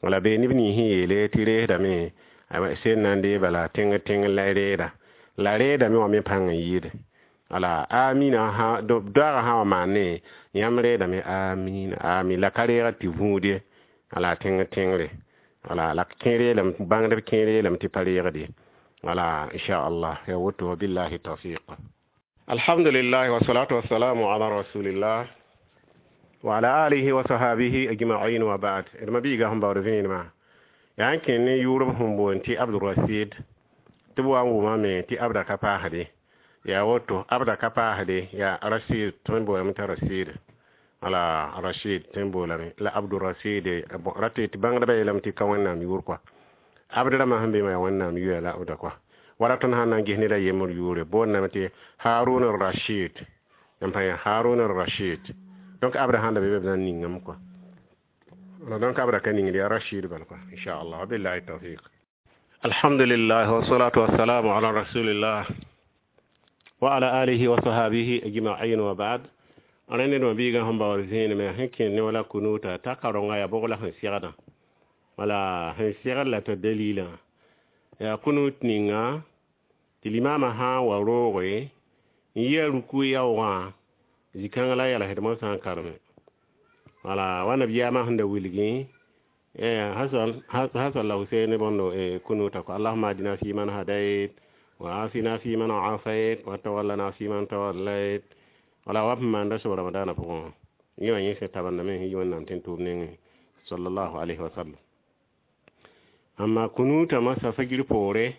Wala bee neb nins sẽn yeele tɩ reesdame, sel na n dee bala tẽng tẽng la reeda la reedame wã me pãng n yɩɩde. Wala amina doaagã sã wa maane, yãmb reedame amina amin, la ka reegd tɩ vũud ye, wala tẽng tẽngre. Wala la kẽer yeelame, bãngdb kẽer yeelame tɩ pa reegd ye. Wala inchallah, ya woto. Wabillahi tawfiq. Alhamdulillah, wassalatu wassalamu ala rasulillah wa ala alihi wa sahabihi ajma'in, wa ba'd. D ma-biigã sẽn baood vẽenemã yaa n kẽ ne yʋʋrb sẽn boond tɩ Abdurasid, tɩ b wa n wʋmame tɩ Abda ka paasde. Yaa woto, Abda ka paasde, yaa Rasid tõe n boolame t'a Rasid, wala Rashid tõe n boolame la Abdurasid. Rate tɩ bãngdbã yeelame tɩ ka Wẽnnaam yʋʋr kɔa. Abd rãmbã sẽn be wã yaa Wẽnnaam yʋya la Abda kɔa. Wala tõnd sãn na n ges ned a yembr yʋʋre, boondame tɩ Harun Rashid, n pa yaa Harun Rashid. Donc Abda sãn da be be, b na n ningame kɔa. Donc Abda ka ningd, yaa Rashid bal kɔa, inchallah. Wabillahi tawfiq. Alhamdulillah, wassalatu wassalamu ala rasulillah wa ala alihi wa sahabihi ajma'in, wa ba'd. Rẽnd d ma-biigã sẽn baood vẽenemã sẽn kẽnd ne wala kunuta t'a karonga yaa bʋg la sẽn segdã, wala sẽn segd la t'a dalilã yaa kunut ninga tɩ limaamã sã n wa rooge n yi a ruku yaoogã zĩ-kãng la yɛlsd mosã n kareme. Wala wa nabiyaamã sẽn da wilgẽ Hasan la Husein bõndo kunuta ko: "Allahuma adina fi man hadait wa afina fi man afait wa tawallana fi man tawallait." Wala wa sẽn maanda soab Ramadaanã pʋgẽ, yẽ wã yẽ sẽn tabendame sẽn yi Wẽnnaam tẽn tʋʋm nengẽ, sallallahu alayhi wa sallam. Amma kunuta masa fajir poore,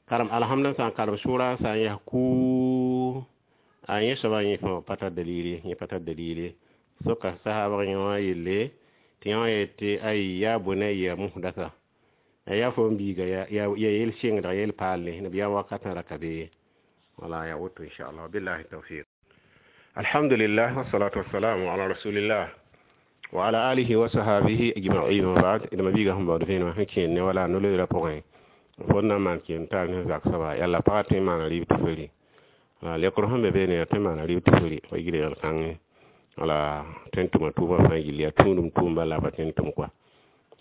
karem alhamda sã n karem sʋra sã n yaa kuu a yẽ soaba, yẽ fãa pa tar dalili, yẽ pa tar dalili. Soka sahabg yẽ wã yelle tɩ yẽ wã yetɩ ay ya bunayya muhdasa, yaa fo n biiga ya yel sɩngdg yel paalle nabiyaam wakatã ra ka be. Wala ya woto, inchallah. Billahi tawfiq. Alhamdulillah, wassalatu wassalamu ala rasulillah wa ala alihi wa sahabihi ajma'in, wa ba'd. D ma-biigã sẽn baood vẽenemã sẽn kẽed ne wala no-loeerã pʋgẽ, fo na n maan kẽem taar ne zak soaba yalla pagã tõe n maana rɩɩb tɩ feri. Wala lekr sẽn be beene yaa tõe n maana rɩɩb tɩ feri wa yig reegl kãngẽ, wala tõe n tʋma tʋʋmã fãa gill yaa tũudum tʋʋm bala la pa tõe n tʋm kɔa.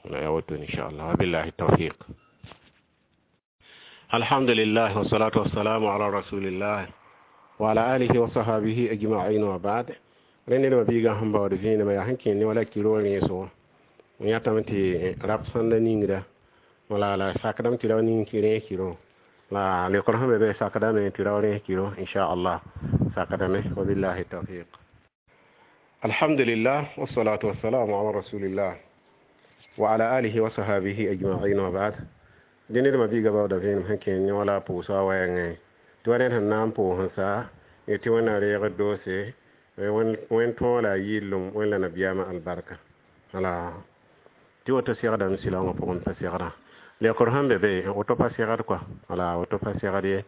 Wala yaa woto, inchallah. Wabillahi tawfiq. Alhamdulillah, wassalatu wassalamu ala rasulillah wa ala alihi wa sahabihi ajma'in, wa ba'd. Rẽnd d ma-biigã sẽn baood vẽenemã yaa sẽn kẽed ne wala kiro rẽesgo n yãtame tɩ rap sãnda ningra, wala la sakdame tɩ rao ning rẽes kiro la lekr sẽn be be sakdame tɩ rao rẽes kiro, inchallah, sakdame. Wabillahi tawfiq. Alhamdulillah, wassalatu wassalamu ala rasulillah wa ala alihi wa sahabihi ajma'in, wa ba'd. Dẽ ned ma-biigã baooda vẽenem sẽn kẽed ne wala pʋʋsga wɛɛngẽ tɩ wa ned sẽn na n pʋʋs n sa tɩ Wẽnnaam reegd doose wẽn tõog la a yɩllem wẽn la nabiyaamã albarka, wala tɩ woto segdame silaoongã pʋgẽ pa segdã lekr sẽn be be woto pa segd kɔa. Wala woto pa segd ye.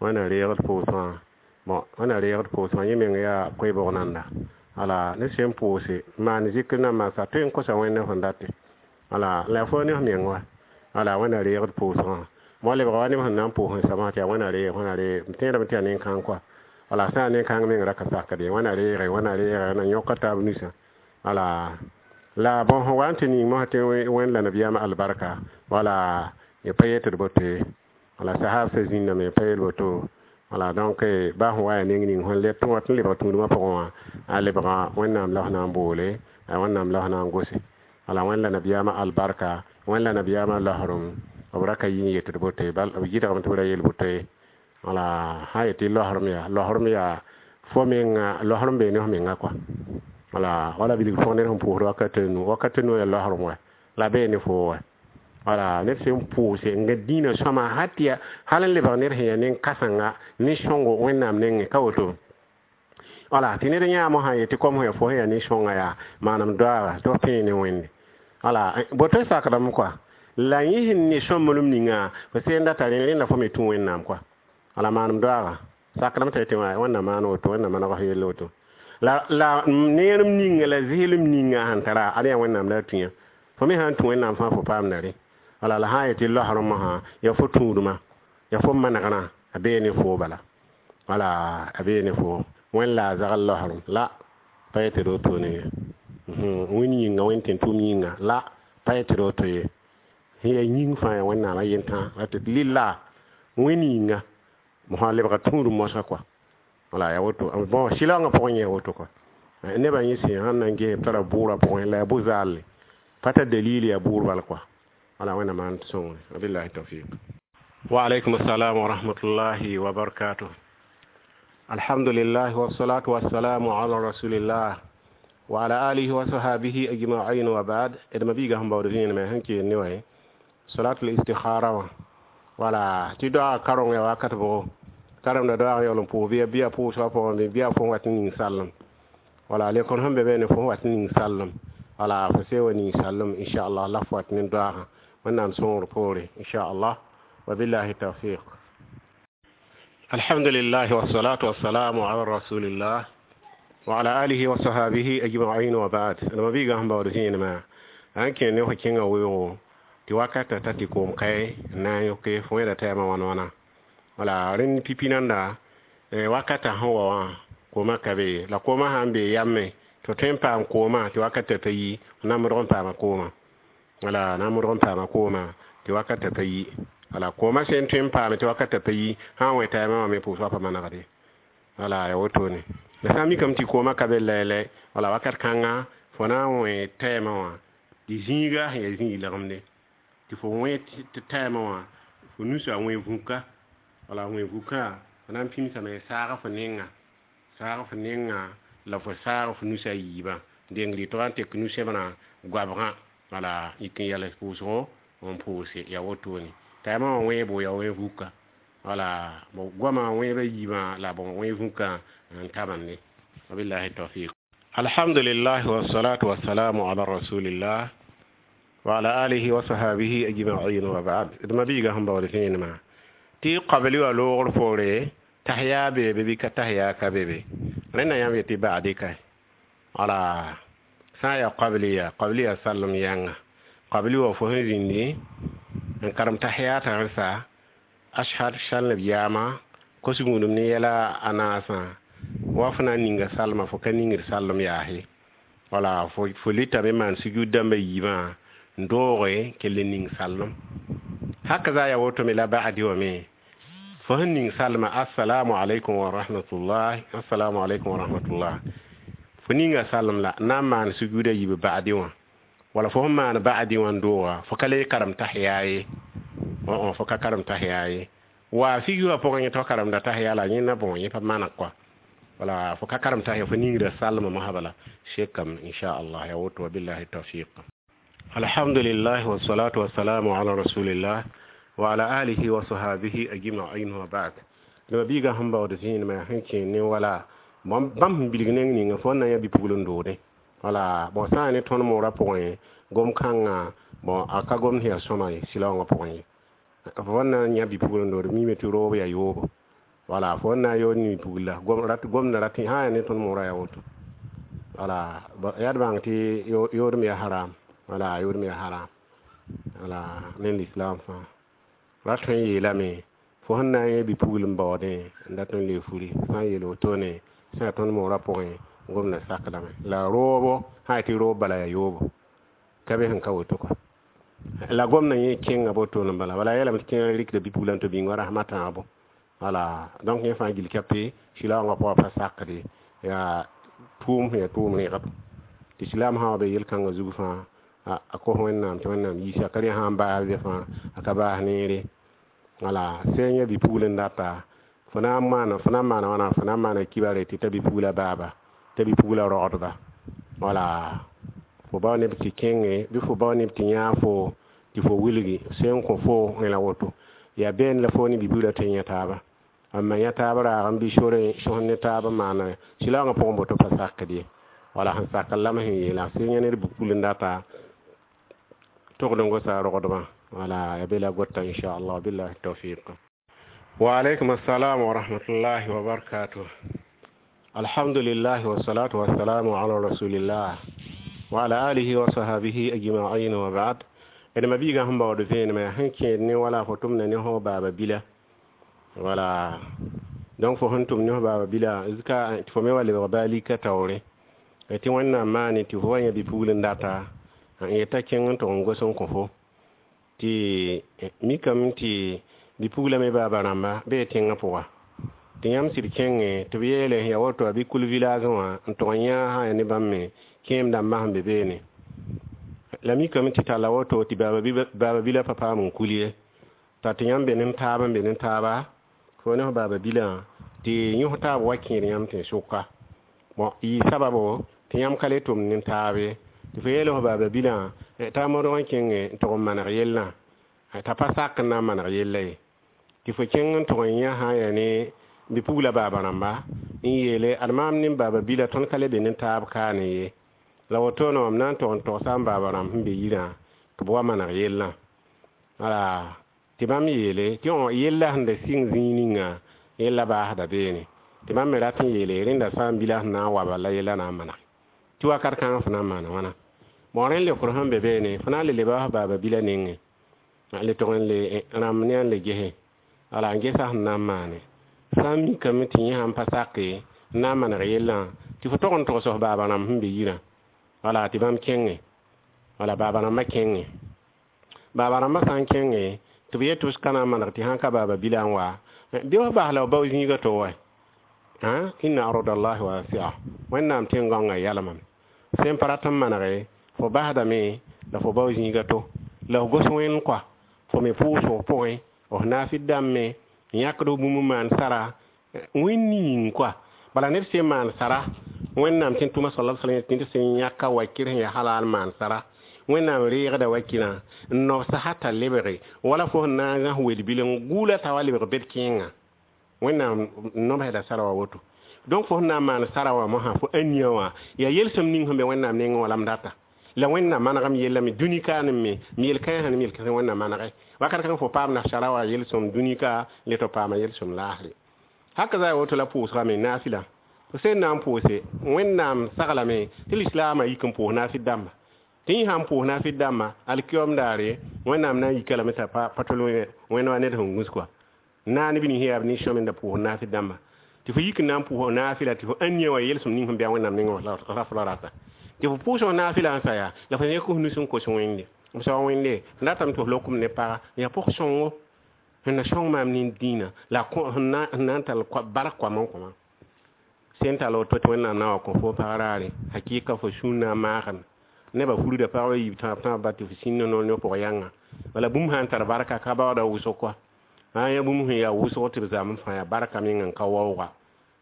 Wẽnna reegd pʋʋsgã, bon, wẽnna reegd pʋʋsgã yẽ meng yaa koe-bog nanda. Wala ne sẽn pʋʋse maan zikr na maasa tõe n kosa Wẽnd sẽn date, wala la fo ne f meng wa. Wala Wẽnna reegd pʋʋsgã mo lebga wa neb sẽn na n pʋʋs n samã tɩ yaa Wẽnna reeg, Wẽnna reeg. M tẽedame tɩ yaa nen-kãng kɔa. Wala sã yaa nen-kãng meng ra ka sakd ye. Wẽnna reege, Wẽnna reege, na yõka taab nusã. Wala la bõn sẽn wa n tɩ ning mosã tɩ Wẽnd la nabiyaamã albarka, wala y pa yetɩ d boto ye. Wala sahabsã zĩndame pa yel woto. Wala donc ba sẽn wa yaa neng ning sẽn lɛt wat n lebg tũudmã pʋgẽ wã a lebga Wẽnnaam la f na n boole, Wẽnnaam la f na n gose. Wala Wẽnd la nabiyaamã albarka, Wẽnd la nabiyaamã laosrem, b ra ka yi n yet d boto ye, bal b gɩdgame tɩ b ra yel boto ye. Wala sã n yet tɩ laosrem yaa laosrem yaa fo menga laosrem bee ne f menga kɔa. Wala wala bilg pʋgẽ ned sẽn pʋʋsd wakat a nu, wakat a nu yaa laosrem wɛ la bee ne foo wɛ. Wala ned sẽn pʋʋse n gãd dĩinã sõama hal tɩ yaa hal n lebg ned sẽn yaa nen-kãsenga ne sõngo Wẽnnaam nengẽ ka woto. Wala tɩ ned yãam sã n yet tɩ kom sẽn yaa fo sẽn yaa nin-sõnga yaa manem doaaga tɩ f pẽe ne Wẽnde. Wala boto sakdame kɔa la yẽ sẽn ne sõmblem ninga fo seen data rẽ rẽnda fo me tũ Wẽnnaam kɔa. Wala manem doaaga sakdame t'a yetɩ Wẽnnaam maan woto, Wẽnnaam maneg f yell woto. La la neerem ninga la zɩslem ninga sẽn tara ad yaa Wẽnnaam la a tũ yã. Fo me sã n tũ Wẽnnaam fãa fo paamda rẽ. Wala la sã n yetɩ laosrem wã yaa fo tũudmã, yaa fo manegrã a bee ne foo bala. Wala a bee ne foo. Wẽnd la a zagl laosrem la pa yetɩ d wotone ye. Wẽnd yĩnga, Wẽnd tẽn-tʋʋm yĩnga la pa yetɩ d woto ye. Sẽn yaa yĩng fãa yaa Wẽnnaam a yentã tɩ lilla Wẽnd yĩnga mosã lebga tũudum mosã kɔa. Wala yaa woto. Bon sɩlaoongã pʋgẽ yẽ woto kɔa. Nebã yẽ sẽn sãn na n ges b tara bʋʋrã pʋgẽ la yaa bʋ-zaalle pa tar dalil yaa bʋʋr bal kɔa. Wala Wẽnnaam maan tɩ sõngre. Wabillahi tawfiq. Wa alaykum assalam wa rahmatullahi wa barakatuh. Alhamdulillah wa salatu wa salamu ala rasulillah wa ala alihi wa sahabihi ajma'in wa ba'd. D mabiiga sẽn baood vẽenemã sẽn keen ne wã salatul istikhara wã. Wala tɩ doaga kareng yaa wakat bʋgo karemda doaag yaool n pʋʋs bɩ bɩ a pʋʋsgã pʋgẽ bɩ a fo wat n ning sallem. Wala lekor sẽn be be ne fo wat n ning sallem. Wala fo see wa ning sallem inchallah la fo wat ne doaagã. Wẽnnaam sõngr poore inchallah. Wabillahi tawfiq. Alhamdulillah wa salatu wa salamu ala rasulillah wa ala alihi wa sahabihi ajma'in wa ba'd. D mabiiga sẽn baood vẽenemã sãn kẽ ne fo kẽngã weoogo tɩ wakata ta tɩ koom kae n na n yõke fo wẽeda tɛɛmã wãn wãna. Wala rẽnd pipi nanda wakata sẽn wa wã koomã ka be la koomã sã n bee yame tɩ tõe n paam koomã tɩ wakata pa yi f na n modg n paama koomã. Wala na n modg n paama koomã tɩ wakata pa yi. Wala koomã sẽn tõe n paame tɩ wakata pa yi sã n wẽ taɛɛmã wã me pʋʋs wa pa manegde. Wala yaa wotone. La sã n mikame tɩ koomã ka be lɛɛlɛ wala wakat kãnga fo na n wẽ tɛɛmã wã tɩ zĩiga sẽn yaa zĩig legemde tɩ fo wẽ tɩ tɛɛmã wã fo nusa wẽ vũka. Wala wẽ vũkã fo na n pĩmsame saag fo nenga, saag fo nenga la fo saag fo nusa yiibã dengr tɩ wa n tek nu-sẽbrã goabgã. Wala yik n yals pʋʋsgo n pʋʋse yaa wotone. Tɛɛmã wã wẽebo yaa wẽ vũka. Wala goamã wẽebã yiibã la bõ wẽ vũkã n tabende. Wabillahi tawfiq. Alhamdulillah wa salatu wa salamu ala rasulillah wa ala alihi wa sahabihi ajma'in wa ba'd. D mabiiga sẽn baood vẽenemã tɩ qabli wã loogr poore tahiya beebe bɩ ka tahiya ka be be. Rẽnda yãmb yetɩ ba'di ka. Wala sã n yaa qabliya, qabliya sallem yãnga. Qabli wã fo sẽn zĩndi n karem tahiyat rẽsa ashhad sal nabiyaamã kos-gũudum ne yɛla a naasã wa fo na n ninga salmã fo ka ningd sallem yaase. Wala fo fo lɩtame n maan sujud dãmbã yiibã n dooge kell n ning sallem. Hakaza yaa woto me la ba'di wã me fo sẽn ning salmã assalamu alaikum wa rahmatullah, assalamu alaikum wa rahmatullah, fo ninga salem la na n maan sujuda yiib ba'di wã. Wala fo sẽn maan ba'di wã n dooga fo ka le karem tahiya ye. Fo ka karem tahiya ye. Wa figi wã pʋgẽ yẽ tɩ fo karemda tahiya la yẽnda bõ yẽ pa maneg kɔa. Wala fo ka karem tahiya fo ningda salmã mosã bala sekame inchallah yaa woto. Wabillahi tawfiq. Alhamdulillah wa salatu wa salamu ala rasulillah wa ala alihi wa sahabihi ajma'in wa ba'd. D mabiiga sẽn baood vẽenemã sẽn kẽ ne wala bãmb sẽn bilg neng ninga fo na n yaa bi-pugl n doode. Wala bon sã n yaa ne tõnd moorã pʋgẽ gom-kãngã bon a ka gomd sẽn yaa sõma ye sɩlaoongã pʋgẽ ye. Fo na n yã bi-pugl n doode mime tɩ roob yaa yoobo. Wala fo na n yood ne bi-pugla gomda rat sã n yaa ne tõnd moorã yaa woto. Wala yaa d bãng tɩ yoodem yaa haram. Wala yoodem yaa haram. Wala ne lislaam fãa rat tõe n yeelame fo sẽn na n yã bi-pugl n baoodẽ n dat n le furi sã n yeel wotone sã yaa tõnd moorã pʋgẽ gomda sakdame la roobo sã n yaa tɩ roob bala yaa yoobo ka be sẽn ka woto kɔa. La gomdã yẽ kẽnga botone bala bala yeelame tɩ kẽngã rɩkda bi-pugla n tɩ bĩng wa rasmã tãabo. Wala donc yẽ fãa gil kape silaoongã pʋgã pa sakde yaa tʋʋm sẽn yaa tʋʋm rẽgb tɩ silaam sã wa be yel-kãngã zug fãa a kos Wẽnnaam tɩ Wẽnnaam yiisa ka rẽ sã n baas be fãa a ka baas neere. Wala sẽn yã bi-pugl n data fo na n maana fo na n maana wãna fo na n maana kibare tɩ ta bi-pugla baaba t'a bi-pugla rogdba. Wala fo bao neb tɩ kẽnge bɩ fo bao neb tɩ yãag fo tɩ fo wilgi sẽn kõ fo la woto yaa bẽend la fo ne bi-pugla tõe n yã taaba n ma yã taab raag n bɩ sore sõs ne taab n maana silaoongã pʋgẽ boto pa sakd ye. Wala sẽn sak n lame sẽn yeela sẽn yã ned bi-pugl n data togd n gosa rogdbã. Wala ya be la gota inchallah billahi tawfiq. Wa alaykum assalam wa rahmatullahi wa barakatuh. Alhamdulillah wa salatu wa salamu ala rasulillah wa ala alihi wa sahbihi ajma'in wa ba'd. D ma biigã sẽn baood vẽenemã sẽn kẽed ne wala fo tʋmda ne fo baaba bila. Wala donc fo sẽn tʋm ne fo baaba bila zka tɩ fo me wa lebg baa lika taoore tɩ Wẽnnaam maane tɩ fo wa yã bi-pugl n data n yeta kẽng n tʋg n gos n kõ fo tɩ mikame tɩ bi-pugla me baaba rãmba bee tẽngã pʋga tɩ yãmb sɩd kẽnge tɩ b yeele ya woto a bɩ kul village wã n tʋg n yã sã ya ne bãmb me kẽem dãmbã sẽn be beene la mikame tɩ talla woto tɩ baaba bila pa paam n kul ye t'a tɩ yãmb be ne taab n be ne taaba fo ne f baaba bilã tɩ yõs taab wa kẽed yãmb tẽ sʋka bon yɩ sababo tɩ yãmb ka le tʋmd ne taab ye tɩ fo yeel f baaba bilã t'a modg n kẽnge n tʋg n maneg yellã t'a pa sak n na n maneg yella ye tɩ fo kẽng n tʋg n yã sã n yaa ne bi-pugla baaba rãmba n yeele ad maam ne baaba bila tõnd ka le be ne taab kaane ye la wotone mam na n tʋg n togsa n baaba rãmb sẽn be yirã tɩ b wa maneg yellã. Wala tɩ bãmb yeele tɩ yella sẽn da sɩng zĩig ninga yella baasda beene tɩ bãmb me rat n yeele rẽnda sã n bila sẽn na n wa bala yella na n maneg tɩ wakat kãngã fo na n maana wãna. Bon rẽnd leokr sẽn be beene fo na n le leba f baaba bila nengẽ le tʋg n le rãmb ne n le gese wala n gesa sẽn na n maane sã n mikame tɩ yẽ sãn pa sake n na n maneg yellã tɩ fo tog n togs f baaba rãmb sẽn be yirã wala tɩ bãmb kẽnge wala baaba rãmbã kẽnge baaba rãmbã sã n kẽnge tɩ b yet tɩ b ka na n maneg tɩ sãn ka baaba bila n wa bɩ f bas la b bao zĩigã to wa inna ardallahi wasia Wẽnnaam tẽn-gãongã yalmame sẽn pa rat n manege fo basdame la fo bao zĩigã to la f gos wẽnd kɔa fo me pʋʋs f pʋgẽ f naafɩd dãmb me n yãkd f bũmb n maan sara wẽnd yĩng kɔa bala ned sẽn maan sara Wẽnnaam tẽn tʋma sala sallam tɩ sẽn yãka wakir sẽn yaa halal maan sara Wẽnnaam reegda wakirã n nobsa hata lebge wala fo sẽn na n zãs wel-bil n gʋʋla t'a wa lebg bed kẽengã Wẽnnaam nobsda sara wa woto. Donc fo sẽn na n maan sara wã mosã fo ania wã yaa yelsem ning sẽn be Wẽnnaam nengẽ wã la m data la Wẽnnaam manegem yellame dũni kaane me m yel-kãensã ne m yel-kãensã Wẽnnaam manege wakat kãng fo paam nasara wã yelsem dũni ka le tɩ paama yelsem laasre haka za woto la pʋʋsgame naafɩla fo sẽn na n pʋʋse Wẽnnaam saglame tɩ lislaamã yik n pʋʋs naafɩd dãmba tɩ yẽ sãn pʋʋs naafɩd dãmba alkiyom daare Wẽnnaam na n yika lame t'a pa tol wẽnd wa ned sẽn gũs kɔa naane bɩ nin yaa b nin-sõmenda pʋʋs naafɩd dãmba tɩ fo yik n na n pʋʋs naafɩla tɩ fo ania wã yelsem ning sẽn bɩa Wẽnnaam nengẽ ra fo la rata tɩ fo pʋʋs naafɩla n sa yaa la fo yẽk f nus n kos Wẽnde b sao Wẽnde n datame tɩ f lokem ne paga yaa pʋg-sõngo sẽn na sõng maam nin-dĩinã la sẽn na n tall bark koam n kõ sẽn tall woto tɩ Wẽnnaam na wa kõ fo pag raare hakɩɩka fo sũur na n maagame nebã furda pagba yiib tãab tãab ba tɩ f sĩnd noor ne pʋg yãnga wala bũmb sã n tar barka ka baooda wʋsg kɔa sã n yã bũmb sẽn yaa wʋsg tɩ b zam n fãa yaa barka meng n ka waooga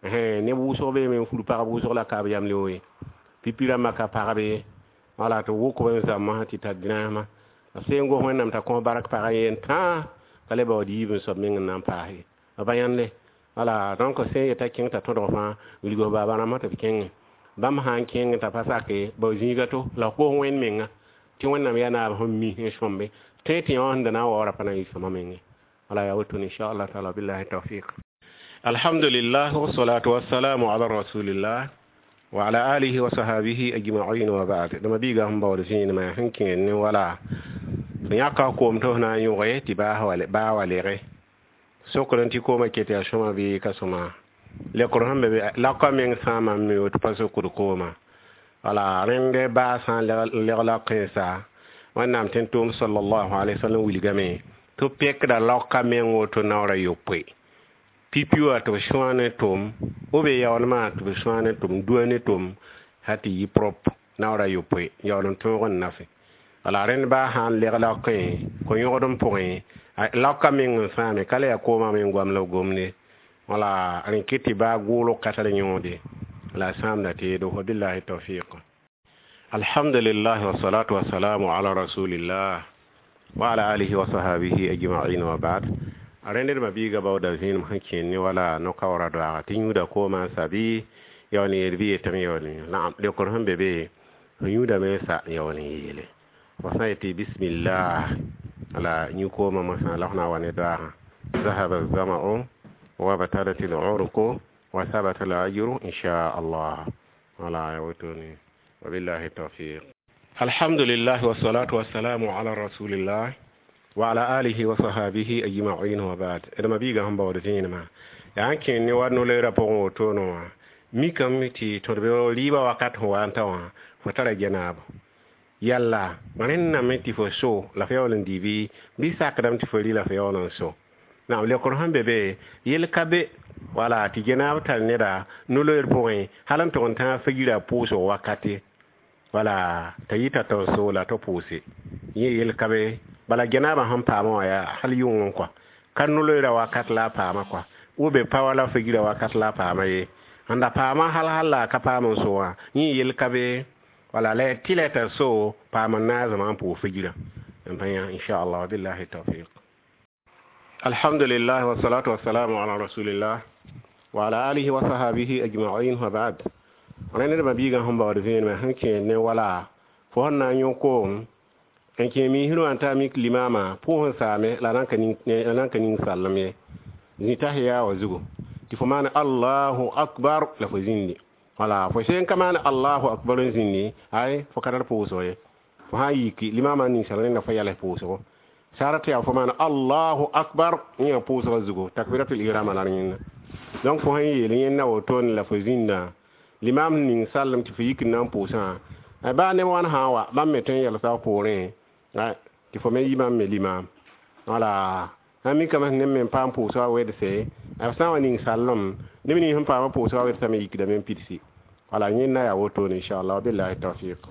neb wʋsg beeme n fur pagb wʋsg la ka b yam leo ye pipi rãmbã ka pagb ye wala tɩ wʋk b n zãmbã tɩ tar dĩrãsmã b sẽn gos Wẽnnaam t'a kõ bark pagã yen tãa ka le baood yiib n soab meng n na n paas ye b yãnde wala donc sẽn yeta kẽng t'a tõdg fãa wilg f baaba rãmbã tɩ b kẽngẽ bãmb sã n kẽng t'a pa sake bao zĩiga to la f kos Wẽnd menga tɩ Wẽnnaam yaa naab sẽn mi n sõmbe tõe tɩ yã sẽn da na n waoora pa na n yɩ sõma menge wala yaa woto inchallah taala billahi tawfiq. Alhamdulillah wassalatu wassalamu ala rasulillah wa ala alihi wa sahbihi ajma'in wa ba'd. Dama biiga sẽn baood vẽenemã sẽn kẽed ne wala fo yãka koom tɩ f na n yõge tɩ baa wa lege sokr n tɩ koomã ket yaa sõma bɩ ka sõma lekr sẽn be laka meng sãama n mi woto pa sokd koomã wala rẽnd baa sã n leg la kẽnsa Wẽnnaam tẽn tʋʋm sallallahu alaihi wasallam wilgame tɩ b pekda laoka meng woto naoora yopoe. Pipi wã tɩ b sõa ne tom, b be yaoolmã tɩ b sõa ne tom, dua ne tom, sã tɩ yɩ propre naoor a yopoe yaool n tõog n nafe. Wala rẽnd baa sã n leg laokẽ ko-yõgdem pʋgẽ, laoka meng n sãame, ka le yaa koomã meng goam la b gomde. Wala rẽ kɩt tɩ baa gʋʋlg ka tar yõode la a sãamda teedo. Wabillahi tawfiq. Alhamdulillah, wassalatu wassalamu ala rasulillah wa ala alihi wa sahabihi ajma'in, wa ba'd. Rẽnd d mabiiga baooda vẽenem sẽn kẽen ne wala no-kaoora doaaga tɩ yũuda koomã n sa bɩ yaool n yeel bɩ yetame yaool n naam leokr sẽn be be fo yũudame sa yaool n yeele fo sã n yetɩ bismillah la yũ koomã mosã la f na n wa ne doaagã ذهب الظمأ وابتلت العروق وثبت الأجر إن شاء الله. ولا يوتوني، وبالله التوفيق. الحمد لله والصلاة والسلام على رسول الله وعلى آله وصحابه أجمعين، وبعد. D mabiiga sẽn baood vẽenemã yaa n kẽen ne wa no-loeerã pʋgẽ wotone wã mikame tɩ tõd be rɩɩbã wakat sẽn wa n ta wã fo tara genaabo yalla rẽnname tɩ fo so la f yaool n dɩ bɩ bɩ sakdame tɩ fo rɩ la f yaool n so. Naam, leokr sẽn be be yel ka be wala tɩ genaab tar neda no-loeer pʋgẽ hal n tʋg n tãag fagira pʋʋsg wakate wala t'a yita tɩ so la tɩ pʋʋse yẽ yel ka be. Bala genaabã sẽn paamã wã yaa hal yʋngẽ kɔa ka no-loeerã wakat la a paama kɔa wo be pa wala fagira wakat la a paama ye sẽn da paama hal hal la a ka paam n so wã yẽ yel ka be wala la tɩ la t'a so paam n naazemã n pʋʋs fagirã n pa yã inchallah. Billahi tawfiq. Alhamdulillah, wassalatu wassalamu ala rasulillah wa ala alihi wa sahabihi ajma'in, wa ba'd. Rẽnd d mabiigã sẽn baood vẽenemã sẽn kẽed ne wala fo sẽn na n yõ koom n kẽ miisr wã n ta mik limaamã pʋʋs n saame la nan ka ning sallem ye zĩtas yaa wã zugu tɩ fo maan allahu akbar la fo zĩndi wala fo sẽn ka maan allahu akbar n zĩndi ay fo ka tar pʋʋsg ye fo sã n yiki limaamã ninsal rẽnda fo yals pʋʋsgo sara tɩ yaa fo maan allahu akbar yẽ pʋʋsgã zugu takbiratul ihrama la yẽnda. Donc fo sẽn yeel yẽnda wotone la fo zĩnda limam ning sallem tɩ fo yik n na n pʋʋsã baa neb wãn sã n wa bãmb me tõe n yɛlsa f poorẽ tɩ fo me yi bãmb me limam wala sã mikame neb me n paam pʋʋsgã wedse b sã n wa ning sallem neb nins sẽn paamã pʋʋsgã wedsame yikdame n pidsi wala yẽnda yaa wotone inchallah. Billahi tawfiq.